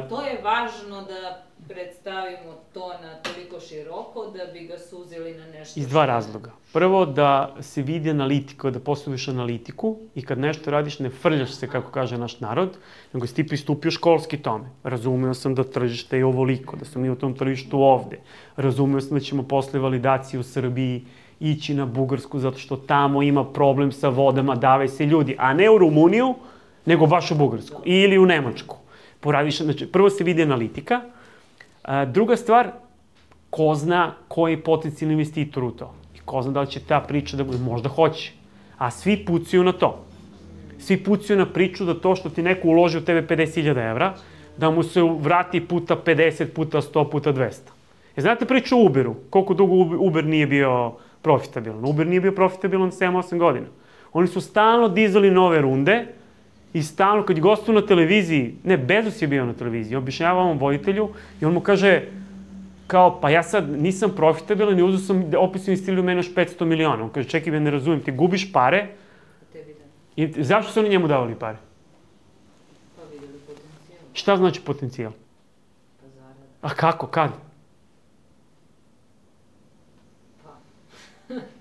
to je važno da predstavimo to na toliko široko da bi ga suzili na nešto... Iz dva razloga. Prvo, da se vidi analitika, da postaviš analitiku i kad nešto radiš ne frljaš se, kako kaže naš narod, nego si ti pristupio školski tome. Razumeo sam da tržište je ovoliko, da smo mi u tom tržištu ovde. Razumeo sam da ćemo posle validacije u Srbiji ići na Bugarsku zato što tamo ima problem sa vodama, dave se ljudi, a ne u Rumuniju, nego baš u Bugarsku ili u Nemačku. Poradiš, znači, prvo se vidi analitika. Druga stvar, ko zna koji je potencijalni investitor u to. I ko zna da li će ta priča da bude, možda hoće. A svi pucaju na to. Svi pucaju na priču da to što ti neko uloži u tebe 50.000 evra, da mu se vrati puta 50, puta 100, puta 200. Znate priču o Uberu? Koliko dugo Uber nije bio profitabilan? Uber nije bio profitabilan 7-8 godina. Oni su stalno dizali nove runde i stalno, kad je gostuju na televiziji, ne, Bezos je bio na televiziji, objašnjava ovom voditelju i on mu kaže, kao, pa ja sad nisam profitabilan i uzeo sam, opet su investirali u mene još 500 miliona. On kaže, čekaj, ja ne razumijem, ti gubiš pare i zašto su oni njemu davali pare? Pa vidjeli potencijal. Šta znači potencijal? Pa zarada. A kako, kad?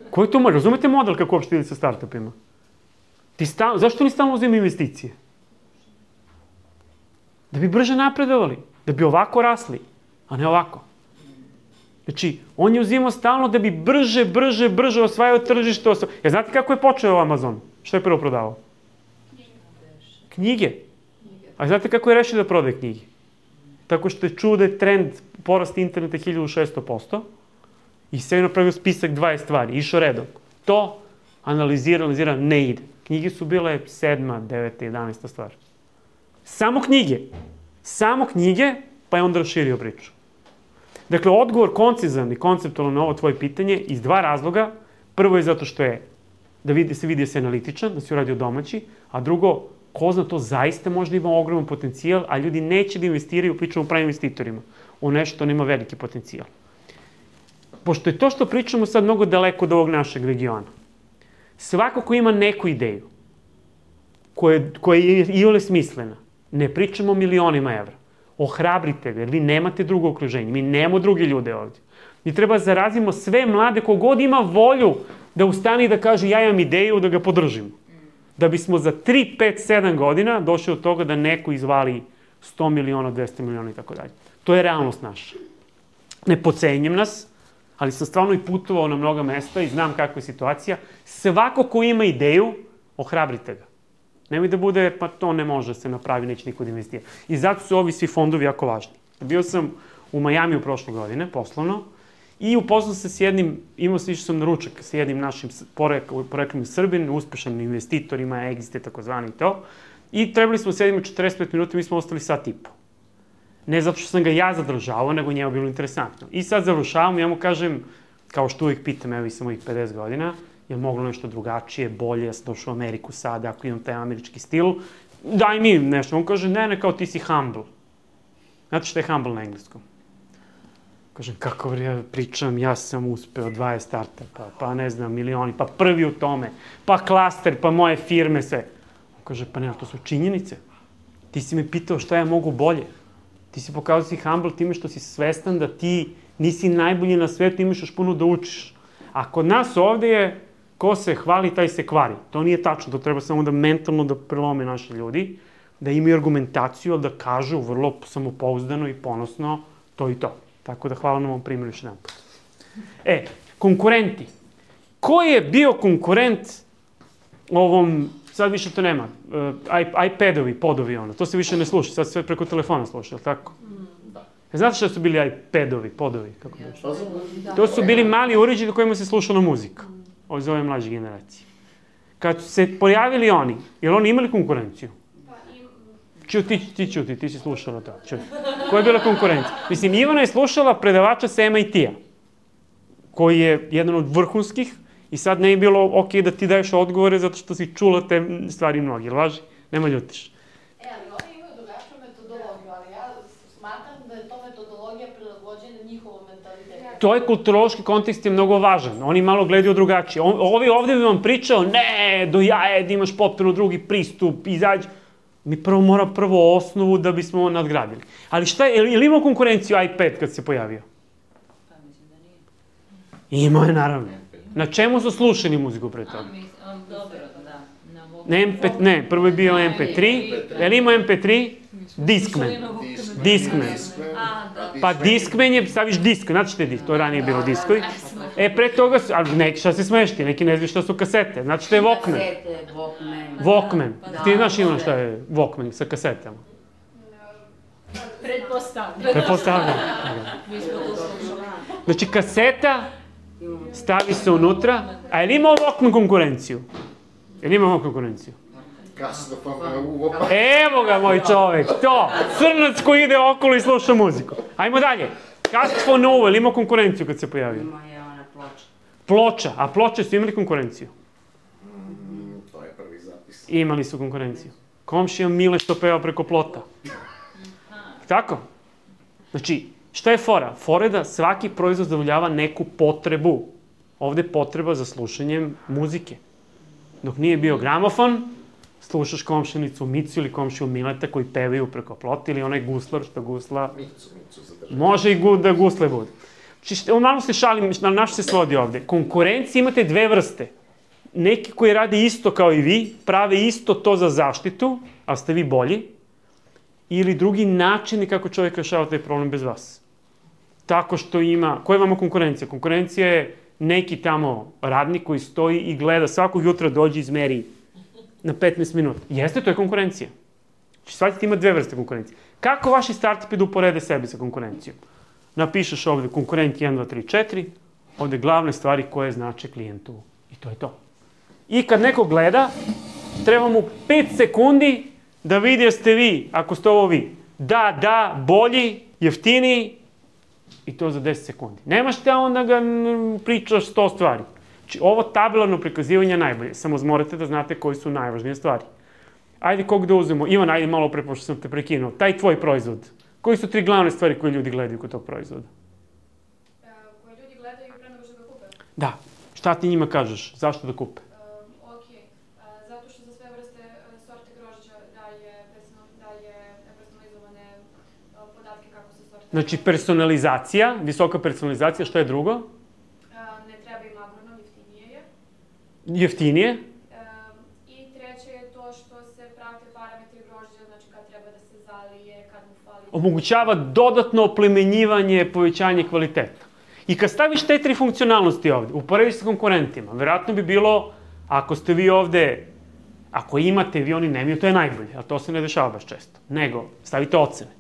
Koji to može? Razumete model kako uopšte ide sa startupima? Zašto oni stalno uzimaju investicije? Da bi brže napredovali, da bi ovako rasli, a ne ovako. Znači, on je uzimao stalno da bi brže osvajao tržište. Znate kako je počeo Amazon? Što je prvo prodavao? Knjige. A znate kako je rešio da prodaje knjige? Tako što je čuo da je trend porast interneta 1600%, i sve je napravio spisak 20 stvari, išao redom. To analizira, ne ide. Knjige su bile 7., 9., 11. stvar. Samo knjige, pa je onda raširio priču. Dakle, odgovor koncizan i konceptualan na ovo tvoje pitanje iz dva razloga. Prvo je zato što je da se vidi da se analitičan, da se uradio domaći, a drugo, ko zna, to zaista možda ima ogroman potencijal, a ljudi neće da investiraju, pričamo o pravim investitorima, o nešto što nema veliki potencijal. Pošto je to što pričamo sad mnogo daleko od ovog našeg regiona, svako ko ima neku ideju, koja je iole smislena, ne pričamo o milionima evra, ohrabrite ga, jer vi nemate drugo okruženje, mi nemamo druge ljude ovdje. Mi treba zarazimo sve mlade, kogod ima volju da ustane i da kaže ja imam ideju da ga podržimo. Da bismo za 3, 5, 7 godina došli od toga da neko izvali 100 miliona, 200 miliona i tako dalje. To je realnost naša. Ne podcenjem nas, ali sam stvarno i putovao na mnoga mesta i znam kakva je situacija. Svako ko ima ideju, ohrabrite ga. Nemoj da bude, pa to ne može se napravi, neće niko da investira. I zato su ovi svi fondovi jako važni. Bio sam u Majamiju prošle godine, poslovno, i upoznao se s jednim, išao sam na ručak sa jednim našim poreklom Srbin, uspešan investitor, ima exit, takozvani i to. I trebali smo sedimo 45 minuta, mi smo ostali sat i po. Ne zato što sam ga ja zadržavao, nego njemu bilo interesantno. I sad završavam, ja mu kažem, kao što uvijek pitam, evo i sam mojih 50 godina, je li moglo nešto drugačije, bolje, ja sam došao u Ameriku sada, ako imam taj američki stil, daj mi nešto. On kaže, ne, kao ti si humble. Znate što je humble na engleskom? Kažem, kako ja pričam, ja sam uspeo 20 startupa, pa ne znam, milioni, pa prvi u tome, pa klaster, pa moje firme, sve. On kaže, pa ne, to su činjenice. Ti si me pitao šta ja mogu bolje. Ti si pokazao si humble time što si svestan da ti nisi najbolji na svetu, imaš još puno da učiš. A kod nas ovde je, ko se hvali, taj se kvari. To nije tačno, to treba samo da mentalno da prelome naši ljudi, da imaju argumentaciju, ali da kažu vrlo samopouzdano i ponosno to i to. Tako da hvala na ovom primjeru još jedan put. Konkurenti. Ko je bio konkurent ovom, sad više to nema, iPadovi, podovi ono, to se više ne sluša, sad sve preko telefona sluša, ali tako? Da. Znate šta su bili iPadovi, podovi, kako bi što? To su bili mali uređaji na kojima se slušala muzika, iz ove mlađe generacije. Kad su se pojavili oni, jer oni imali konkurenciju? Ti si slušala to. Koja je bila konkurencija? Mislim, Ivana je slušala predavača sa MIT-a, koji je jedan od vrhunskih, i sad ne je bilo okej da ti daješ odgovore zato što si čula te stvari mnogi, jel važi? Nema ljutiš. Ali oni imaju drugačiju metodologiju, ali ja smatram da je to metodologija prilagođena njihovom mentalitetu. To je kulturološki kontekst je mnogo važan. Oni malo gledaju drugačije. Ovi ovde bi vam pričao, ne, do jaje, da imaš potpuno drugi pristup, izađi. Mi mora prvo osnovu da bismo nadgradili. Ali šta je, ili imao konkurenciju iPad kad se pojavio? Pa mislim da nije. Imao je, naravno. Na čemu su slušali muziku pre toga? Dobro, da. Ne, prvo je bio MP3. Je li imao MP3? Discman. Pa Discman je, staviš disk, znate što je disk, to je ranije bilo diskovi. Pre toga su, ali neki šta se smešti, neki ne znaju šta su kasete. Znate što je Walkman? Walkman. Ti znaš Ivana šta je Walkman sa kasetama? Pretpostavljam. Znači kaseta, stavi se unutra, a je li imao Walkman konkurenciju? Evo ga, moj čovek, to! Crnac koji ide okolo i sluša muziku. Ajmo dalje. Castphone Novo, ili imao konkurenciju kad se pojavio? Ima je ona ploča. Ploča, a ploče su imali konkurenciju? To je prvi zapis. Imali su konkurenciju. Komšija Mile što peva preko plota. Tako? Znači, šta je fora? Fora je da svaki proizvod zadovoljava neku potrebu. Ovde je potreba za slušanjem muzike. Dok nije bio gramofon, slušaš komšinicu Micu ili komšiju Mileta koji pevaju preko plota ili onaj guslar što gusla. Micu zadržati. Može i da gusle bude. Znači, malo se šalim, na što se svodi ovde. Konkurencije imate dve vrste. Neki koji rade isto kao i vi, prave isto to za zaštitu, a ste vi bolji, ili drugi načini kako čovjek rešava taj problem bez vas. Tako što ima... Koja je vama konkurencija? Konkurencija je neki tamo radnik koji stoji i gleda svakog jutra dođe i izmeri na 15 minuta. Jeste, to je konkurencija. Znači, shvatite, ima dve vrste konkurencije. Kako vaši startupi da uporede sebe sa konkurencijom? Napišeš ovde konkurent 1, 2, 3, 4, ovde glavne stvari koje znače klijentu. I to je to. I kad neko gleda, treba mu 5 sekundi da vidi jeste vi, ako ste ovo vi. Da, bolji, jeftiniji, i to za 10 sekundi. Nemaš te onda ga pričaš 100 stvari. Znači, ovo tabelarno prikazivanje je najbolje. Samo morate da znate koji su najvažnije stvari. Ajde, kog da uzmemo? Ivan, ajde malo pre, pošto sam te prekinuo. Taj tvoj proizvod. Koji su 3 glavne stvari koje ljudi gledaju kod tog proizvoda? Koje ljudi gledaju pre nego što ga kupe? Da. Šta ti njima kažeš? Zašto da kupe? Zato što za sve vrste sorte grožđa daje personalizovane podatke kako se sorte. Znači, personalizacija, visoka personalizacija, šta je drugo? Ne treba im agronom, jeftinije je. Jeftinije? I treće je to što se prate parametri grožđa, znači kad treba da se zalije, kad mu fali. Omogućava dodatno oplemenjivanje, povećanje kvaliteta. I kad staviš te 3 funkcionalnosti ovde, uporediš sa konkurentima, verovatno bi bilo, ako ste vi ovde, ako imate, vi oni nemaju, to je najbolje, a to se ne dešava baš često. Nego, stavite ocene.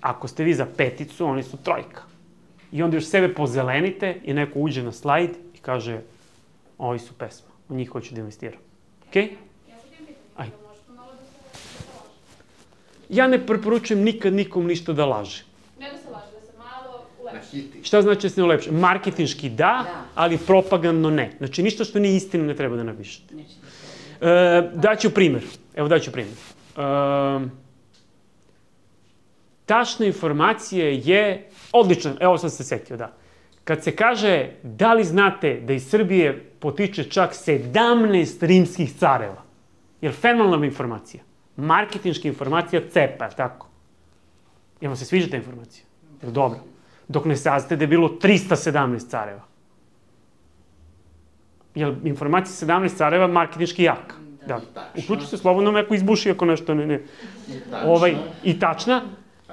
Ako ste vi za 5, oni su 3. I onda još sebe pozelenite i neko uđe na slajd i kaže, ovi su pesma, u njih hoću da investiram. Okej? Ja sam tim pitan, da možete malo da se laže. Ja ne preporučujem nikad nikom ništa da laže. Ne da se laže, da se malo ulepši. Šta znači da se ne ulepši? Marketinški da, ali propagandno ne. Znači, ništa što nije istina ne treba da napišete. Daću primer. Evo, daću primer. Tačna informacija je odlična. Evo sam se setio, da. Kad se kaže, da li znate da iz Srbije potiče čak 17 rimskih careva? Je li fenomenalna informacija? Marketinška informacija cepa, tako? Jel vam se sviđa ta informacija? Je li dobro? Dok ne saznate da je bilo 317 careva. Je li informacija 17 careva marketinški jaka? Da. Uključu se slobodno me ako izbuši ako nešto ne. I tačna.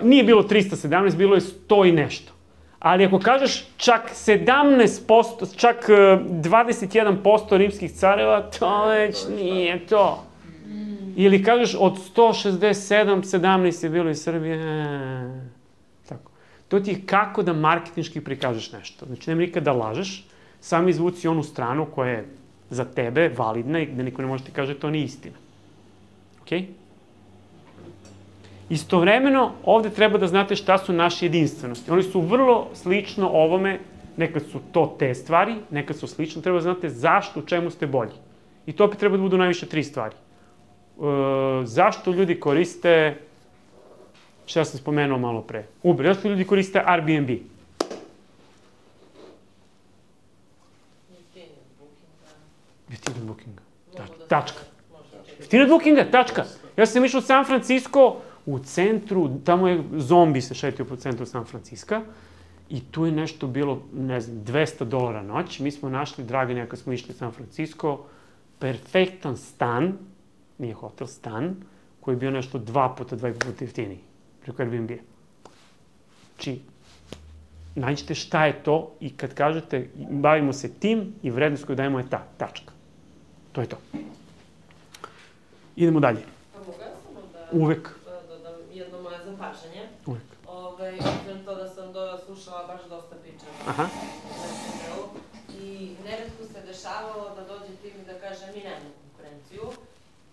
Nije bilo 317, bilo je 100 i nešto. Ali ako kažeš čak 17%, čak 21% rimskih careva, to već nije to. Ili kažeš od 167, 17 je bilo iz Srbije. Tako. To ti je kako da marketinški prikažeš nešto. Znači, nema nikad da lažeš, samo izvuci onu stranu koja je za tebe validna i da niko ne može ti kaže to nije istina. Okej? Istovremeno, ovde treba da znate šta su naše jedinstvenosti. Oni su vrlo slično ovome, nekad su to te stvari, nekad su slično, treba da znate zašto, u čemu ste bolji. I to opet treba da budu najviše 3 stvari. Zašto ljudi koriste, šta sam spomenuo malo pre, Uber, zašto ljudi koriste Airbnb? Jeftinije od Bookinga. Tačka. Jeftinije od Bookinga, tačka. Ja sam išao u San Francisco, u centru, tamo je zombi se šetio po centru San Francisca i tu je nešto bilo, ne znam, $200 noć. Mi smo našli, Draganja, kad smo išli u San Francisco, perfektan stan, nije hotel, stan, koji je bio nešto 2 puta jeftiniji, preko Airbnb-a. Znači, nađite šta je to i kad kažete bavimo se tim i vrednost koju dajemo je ta, tačka. To je to. Idemo dalje. Mogu ja samo da... Uvek. Dodam jedno moje zapažanje. Uvek. Obzirom to da sam slušala baš dosta priča. Aha. I neretko se dešavalo da dođe tim i da kaže mi nemamo konkurenciju.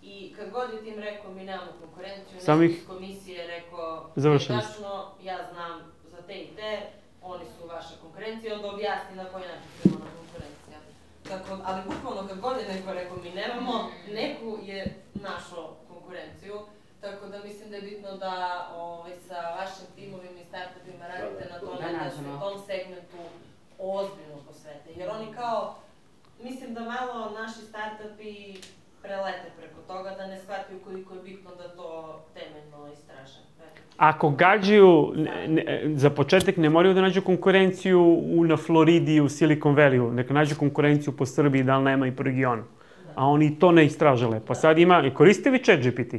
I kad god tim rekao mi nemamo konkurenciju, Samo neko ih- iz komisije rekao, Završili ste. tačno, ja znam za te i te, oni su vaša konkurencija, onda objasni na koji način ćemo na konkurencija. Tako, ali bukvalno kad god je neko rekao mi nemamo, neku je našao konkurenciju, tako da mislim da je bitno da sa vašim timovima i startupima radite na tome da se tom segmentu ozbiljno posvete. Jer oni kao, mislim da malo naši startupi prelete preko toga, da ne shvataju koliko je bitno da to temeljno istraže. Ako gađaju, za početak ne moraju da nađu konkurenciju na Floridi i u Silicon Valley-u, neka nađu konkurenciju po Srbiji, da li nema i po regionu. A oni to ne istražile. Pa sad ima, koriste vi ChatGPT?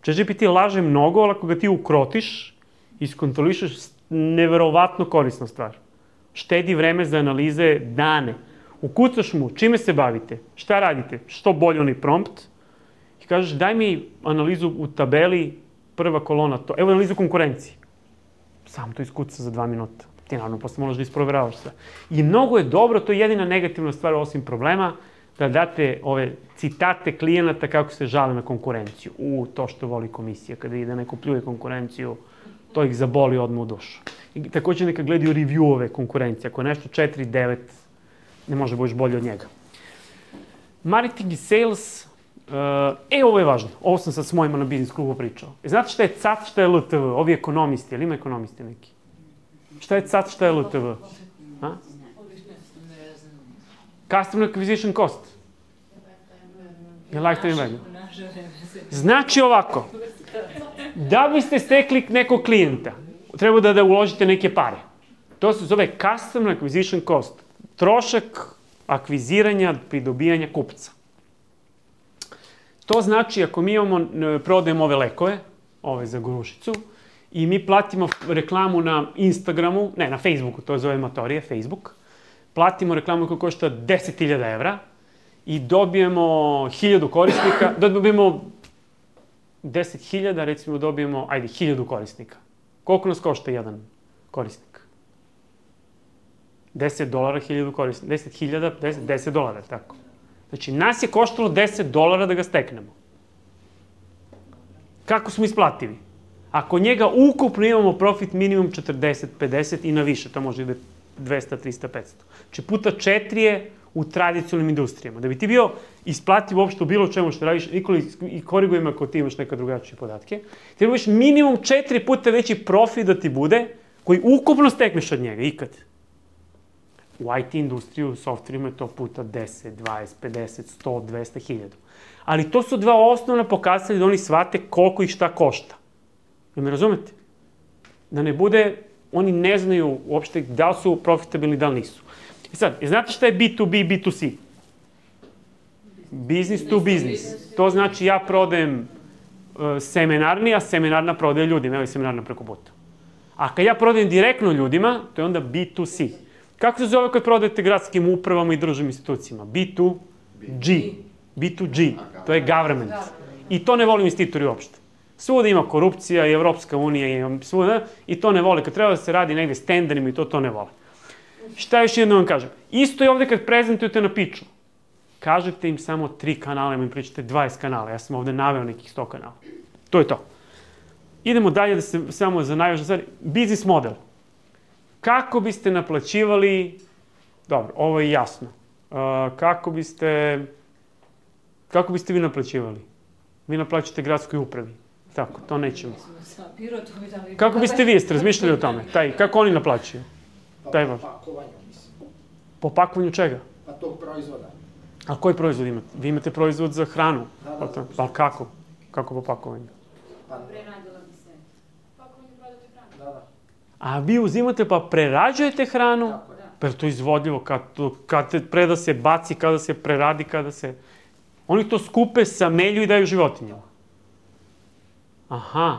ChatGPT laže mnogo, ali ako ga ti ukrotiš, iskontrolišeš, neverovatno korisna stvar. Štedi vreme za analize dane. Ukucaš mu, čime se bavite, šta radite, što bolje onaj prompt i kažeš daj mi analizu u tabeli, prva kolona, to. Evo analizu konkurencije. Sam to iskuca za 2 minuta. Ti naravno posle moraš da isproveravaš sve. I mnogo je dobro, to je jedina negativna stvar osim problema, da date ove citate klijenata kako se žale na konkurenciju. To što voli komisija, kada ide neko pljuje konkurenciju, to ih zaboli odmah u dušu. I takođe neka gledaju review-ove konkurencije. Ako je nešto 4-9, ne može bojiš bolje od njega. Marketing i sales, ovo je važno. Ovo sam sad s mojima na biznis klubu pričao. Znate šta je CAT, šta je LTV? Ovi ekonomisti, ali ima ekonomisti neki? Šta je CAT, šta je LTV? Customer acquisition cost. Je lifetime value. Znači ovako, da biste stekli nekog klijenta, treba da uložite neke pare. To se zove customer acquisition cost. Trošak akviziranja, pridobijanja kupca. To znači, ako mi prodajemo ove lekove, ove za grušicu, i mi platimo reklamu na Instagramu, ne, na Facebooku, to zove amatorije, Facebook, platimo reklamu koja košta 10.000 evra i dobijemo 1.000 korisnika, dobijemo 10.000, recimo dobijemo, 1.000 korisnika. Koliko nas košta jedan korisnik? $10 1.000 korisnika. 10.000, $10, tako. Znači, nas je koštalo $10 da ga steknemo. Kako smo isplativi? Ako njega ukupno imamo profit minimum 40, 50 i na više, to može da je 200, 300, 500. Znači, puta 4 je u tradicionalnim industrijama. Da bi ti bio isplativ uopšte u bilo čemu što radiš, i korigujem ako ti imaš neka drugačije podatke, ti imaš minimum 4 puta veći profit da ti bude, koji ukupno stekneš od njega, ikad. U IT industriju, u softverima je to puta 10, 20, 50, 100, 200, 1000. Ali to su dva osnovna pokazatelja da oni shvate koliko ih šta košta. Jel me razumete? Da ne bude, oni ne znaju uopšte da li su profitabilni, da li nisu. I sad, znate šta je B2B, B2C? Business to business. To znači ja prodajem seminarni, a seminarna prodaje ljudima. Evo je seminarna preko puta. A kad ja prodajem direktno ljudima, to je onda B2C. Kako se zove kad prodajete gradskim upravama i državnim institucijama? B2G. B2G. To je government. I to ne voli investitori uopšte. Svuda ima korupcija i Evropska unija i svuda, i to ne vole. Kad treba da se radi negde s tenderima i to ne vole. Šta još jedno vam kažem? Isto je ovde kad prezentujete na pitchu. Kažete im samo 3 kanala, im pričate 20 kanala. Ja sam ovde naveo nekih 100 kanala. To je to. Idemo dalje da se samo za najvažnije stvari. Biznis model. Kako biste naplaćivali, dobro, ovo je jasno. Kako biste vi naplaćivali? Vi naplaćate gradskoj upravi. Tako, to nećemo. Kako biste vi, jeste razmišljali o tome? Kako oni naplaćuju? Po pakovanju, mislim. Po pakovanju čega? Pa tog proizvoda. A koji proizvod imate? Vi imate proizvod za hranu. Pa kako? Kako po pakovanju? Preradila bi se. Pakovanje prodate hranu. Da. A vi uzimate pa prerađujete hranu? Pa je to izvodljivo? Kad se preda se baci, kada se preradi, kada se... Oni to skupe, samelju i daju životinjama. Aha.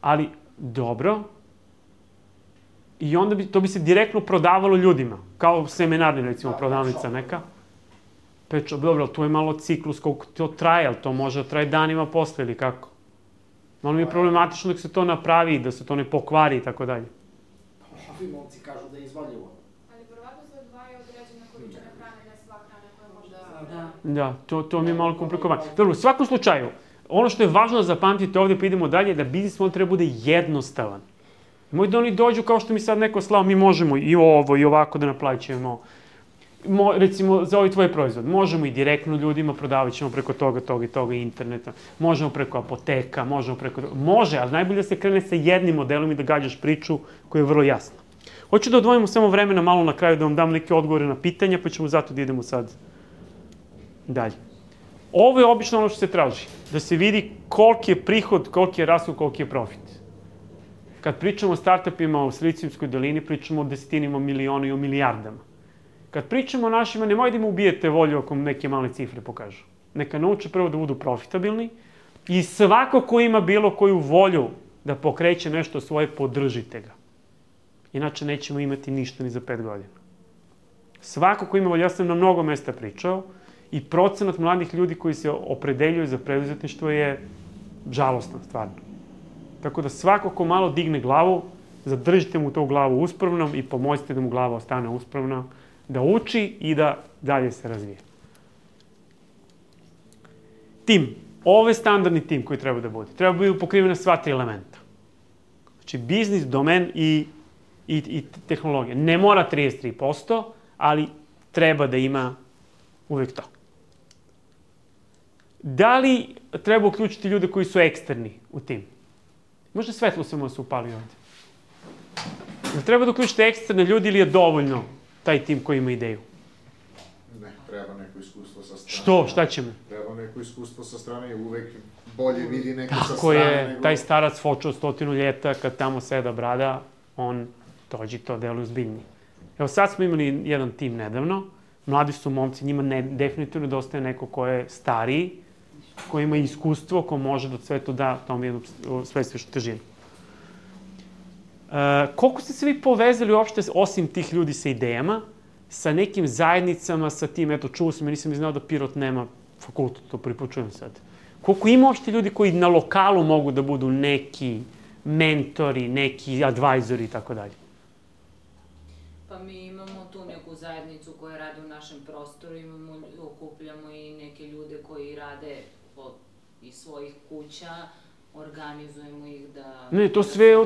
Ali, dobro. I onda to bi se direktno prodavalo ljudima. Kao seminarni, recimo, prodavnica neka. Pečo, dobro, tu je malo ciklus, koliko to traje, ali to može da traje danima posle ili kako? Malo mi je problematično da se to napravi, da se to ne pokvari i tako dalje. Ovi momci kažu da je izvodljivo. Ali verovatno se odvaja određena količina hrane, ne sva hrana koja može da se... Da, to mi je malo komplikovano. Dobro, u svakom slučaju, ono što je važno da zapamtite ovdje, pa idemo dalje, da biznis model treba bude jednostavan. Moj da oni dođu kao što mi sad neko slao, mi možemo i ovo i ovako da naplaćujemo. Recimo, za ovaj tvoj proizvod, možemo i direktno ljudima, prodavat ćemo preko toga, interneta, možemo preko apoteka, može, ali najbolje da se krene sa jednim modelom i da gađaš priču koja je vrlo jasna. Hoću da odvojimo samo vremena malo na kraju da vam dam neke odgovore na pitanja, pa ćemo zato da idemo sad dalje. Ovo je obično ono što se traži, da se vidi koliki je prihod, koliki je rashod, koliki je profit. Kad pričamo o startupima u Silicijumskoj dolini, pričamo o desetinima miliona i o milijardama. Kad pričamo o našima, nemoj da im ubijete volju ako neke male cifre pokažu. Neka nauče prvo da budu profitabilni i svako ko ima bilo koju volju da pokreće nešto svoje, podržite ga. Inače nećemo imati ništa ni za 5 godina. Svako ko ima volju, ja sam na mnogo mesta pričao, i procenat mladih ljudi koji se opredeljuju za preduzetništvo je žalostan, stvarno. Tako da svako ko malo digne glavu, zadržite mu tu glavu uspravnom i pomoćite da mu glava ostane uspravna, da uči i da dalje se razvije. Tim. Ovo je standardni tim koji treba da bude. Treba biti pokrivena sva 3 elementa. Znači, biznis, domen i tehnologija. Ne mora 33%, ali treba da ima uvek to. Da li treba uključiti ljude koji su eksterni u tim? Možda svetlo samo se upali ovdje. Da treba da uključite eksterne ljudi ili je dovoljno taj tim koji ima ideju? Ne, treba neko iskustvo sa strane. Što? Šta ćemo? Treba neko iskustvo sa strane i uvek bolje vidi neko sa strane. Tako je, taj starac fočao 100 ljeta, kad tamo seda brada, on dođi to deluje zbiljnije. Evo sad smo imali jedan tim nedavno, mladi su momci, njima definitivno nedostaje neko ko je stariji, ko ima iskustvo, ko može da sve to da tome jednu svestišu težinu. Koliko ste se vi povezali uopšte, osim tih ljudi sa idejama, sa nekim zajednicama, sa tim, eto, čuo sam, ja nisam znao da Pirot nema fakultet, to prvi put čujem sad. Koliko ima uopšte ljudi koji na lokalu mogu da budu neki mentori, neki advajzori i tako dalje? Pa mi imamo tu neku zajednicu koja radi u našem prostoru, okupljamo i neke ljude koji rade iz svojih kuća, organizujemo ih da... Ne,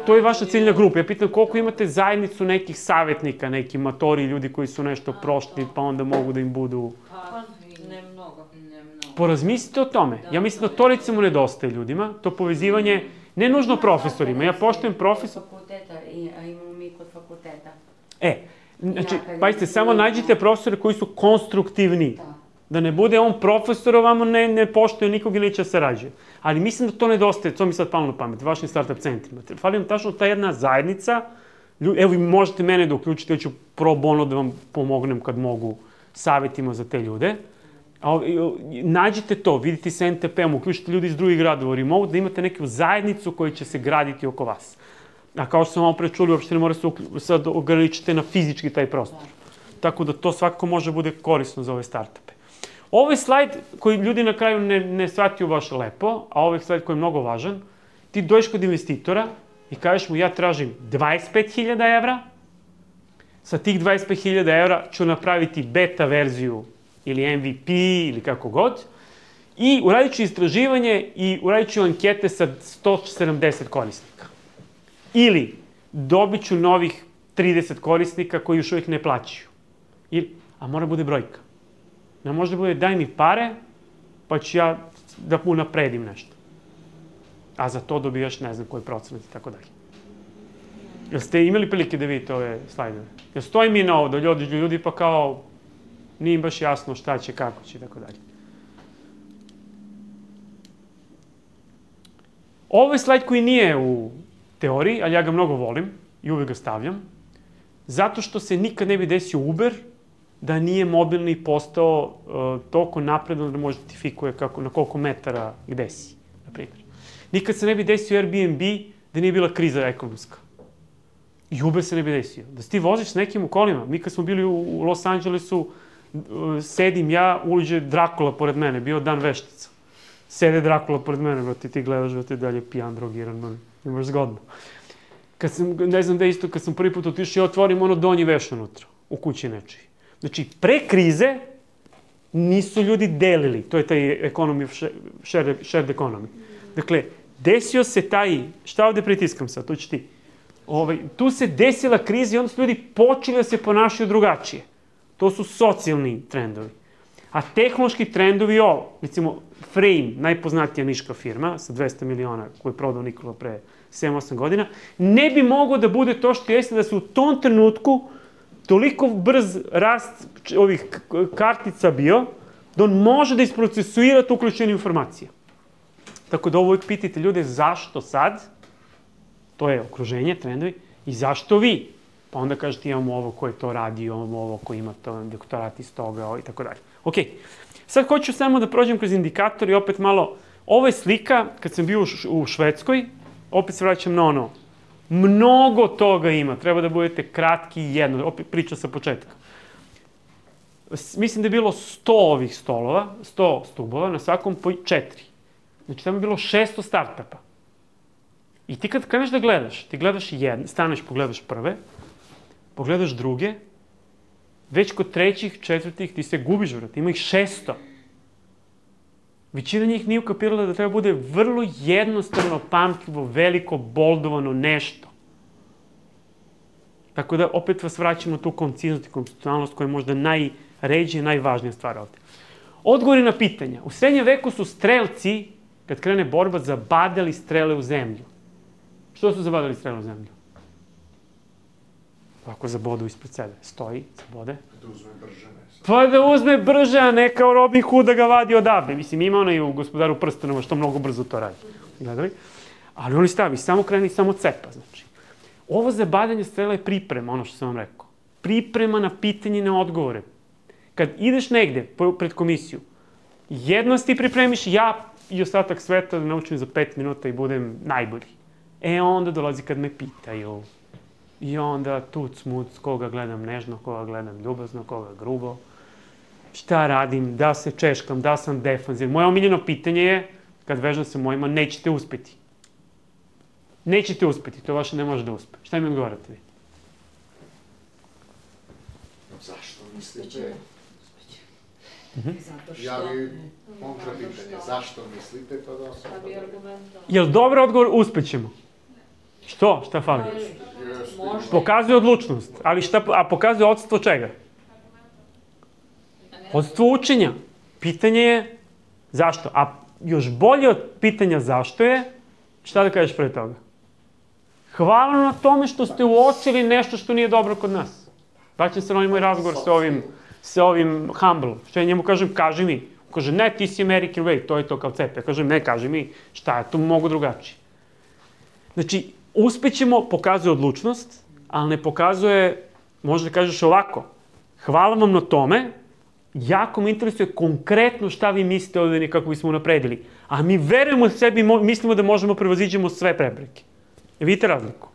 to je vaša ciljna grupa. Ja pitam koliko imate zajednicu nekih savjetnika, neki matori, ljudi koji su nešto prošli, pa onda mogu da im budu... Pa, ne mnogo. Porazmislite o tome. Ja mislim da to recimo nedostaje ljudima, to povezivanje, ne nužno profesorima, ja poštujem profesor... Imamo mi kod fakulteta. Znači, pazite, samo nađite profesore koji su konstruktivni. Da ne bude on profesor, ovamo ne poštuje nikog ili neće sarađuje. Ali mislim da to nedostaje, to mi sad palo na pamet, vašim startup centrima. Fali vam tačno ta jedna zajednica, evo vi možete mene da uključite, ja ću pro bono da vam pomognem kad mogu savjetima za te ljude. Nađite to, vidite sa NTP-om, uključite ljudi iz drugih gradova, remote, da imate neku zajednicu koja će se graditi oko vas. A kao što sam vam prečuli, uopšte ne mora se sad ograničiti na fizički taj prostor. Tako da to svakako može bude korisno za ove startupe. Ovo je slajd koji ljudi na kraju ne shvatiju baš lepo, a ovo je slajd koji je mnogo važan. Ti dođeš kod investitora i kažeš mu ja tražim 25.000 evra, sa tih 25.000 evra ću napraviti beta verziju ili MVP ili kako god, i uradit ću istraživanje i uradit ću ankete sa 170 korisnika. Ili dobit ću novih 30 korisnika koji još uvijek ne plaćaju. A mora bude brojka. Ne može da bude daj mi pare, pa ću ja da unapredim nešto. A za to dobijaš ne znam koji procenat i tako dalje. Jel ste imali prilike da vidite ove slajdove? Jel stoji mi na ovo da ljudi pa kao nije im baš jasno šta će, kako će i tako dalje. Ovo je slajd koji nije u teoriji, ali ja ga mnogo volim i uvijek ga stavljam, zato što se nikad ne bi desio Uber da nije mobilni postao toliko napredan da može identifikuje na koliko metara gde si, na primjer. Nikad se ne bi desio Airbnb da nije bila kriza ekonomska. I Uber se ne bi desio. Da si ti voziš s nekim u kolima, mi kad smo bili u Los Angelesu, sedim ja, uđe Drakula pored mene, bio dan veštica. Sede Drakula pored mene, ti gledaš da ti dalje pijan, drogiran, imaš zgodno. Kad sam, ne znam da isto, kad sam prvi put otišao, ja otvorim ono donji veš unutra, u kući nečiji. Znači, pre krize, Nisu ljudi delili, to je taj shared economy. Dakle, desio se taj, šta ovde pritiskam sad, tu će ti. Tu se desila kriza i onda su ljudi počeli da se ponašaju drugačije. To su socijalni trendovi. A tehnološki trendovi recimo Frame, najpoznatija niška firma sa 200 miliona koju je prodao Nikola pre 7-8 godina, ne bi mogao da bude to što jeste da se u tom trenutku toliko brz rast ovih kartica bio, da on može da isprocesuira tu uključene informacije. Tako da ovo uvijek pitajte ljude zašto sad, to je okruženje, trendovi, i zašto vi? Pa onda kažete imamo ovo koji to radi, imamo ovo koji ima to doktorat iz toga i tako dalje. Ok, sad hoću samo da prođem kroz indikator i opet malo, ovo je slika kad sam bio u Švedskoj, opet se vraćam na ono, mnogo toga ima, treba da budete kratki i jedno, opet priča sa početka. Mislim da je bilo 100 ovih stolova, 100 stubova, na svakom po 4. Znači tamo je bilo 600 startupa. I ti kad kreneš da gledaš, ti gledaš jedne, staneš, pogledaš prve, pogledaš druge, već kod trećih, četvrtih ti se gubiš, vrat, ima ih 600. Većina njih nije ukapirala da treba bude vrlo jednostavno, pamtljivo, veliko, boldovano nešto. Tako da opet vas vraćamo na tu konciznost i konstitucionalnost koja je možda najređija i najvažnija stvar ovde. Odgovori na pitanja. U srednjem veku su strelci, kad krene borba, zabadali strele u zemlju. Što su zabadali strele u zemlju? Ovako zabodu ispred sebe. Stoji, zabode. Da uzme brže, ne. Pa da uzme brže, a ne kao Robin Hood da ga vadi odavde. Mislim, ima onaj u Gospodaru prstenova što mnogo brzo to radi. Gledali? Ali oni stavi, samo kreni, samo cepa, znači. Ovo zabadanje strela je priprema, ono što sam vam rekao. Priprema na pitanje i na odgovore. Kad ideš negde pred komisiju, jedno ti pripremiš, ja i ostatak sveta da naučim za 5 minuta i budem najbolji. Onda dolazi kad me pitaju. I onda tuc, muc, koga gledam nežno, koga gledam ljubazno, koga grubo. Šta radim, da se češkam, da sam defanzivan. Moje omiljeno pitanje je, kad vežam sa mojima, nećete uspeti. Nećete uspeti, to vaše ne može da uspe. Šta mi odgovarate vi? Zašto mislite? Ja bi kontra pitanje, zašto mislite, pa da sam... Jel dobar odgovor, uspećemo? Što? Šta fali? Pokazuje odlučnost, ali a pokazuje odstvo čega? Odstvo učenja. Pitanje je zašto. A još bolje od pitanja zašto je, šta da kažeš pre toga? Hvala na tome što ste uočili nešto što nije dobro kod nas. Vraćam se na ovaj moj razgovor sa ovim Humble. Što ja njemu kažem, kaži mi. Kaže, ne, ti si American way, to je to kao cepe. Ja kažem, ne, kaži mi, šta je to mogu drugačije. Znači, uspećemo, pokazuje odlučnost, ali ne pokazuje, možda kažeš ovako, hvala vam na tome, jako me interesuje konkretno šta vi mislite ovdje kako bismo napredili. A mi verujemo sebi, mislimo da možemo prevaziđemo sve prepreke. Vidite razliku?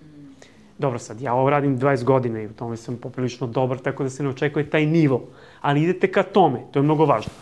Dobro sad, ja ovo radim 20 godina i u tome sam poprilično dobar, tako da se ne očekuje taj nivo. Ali idete ka tome, to je mnogo važno.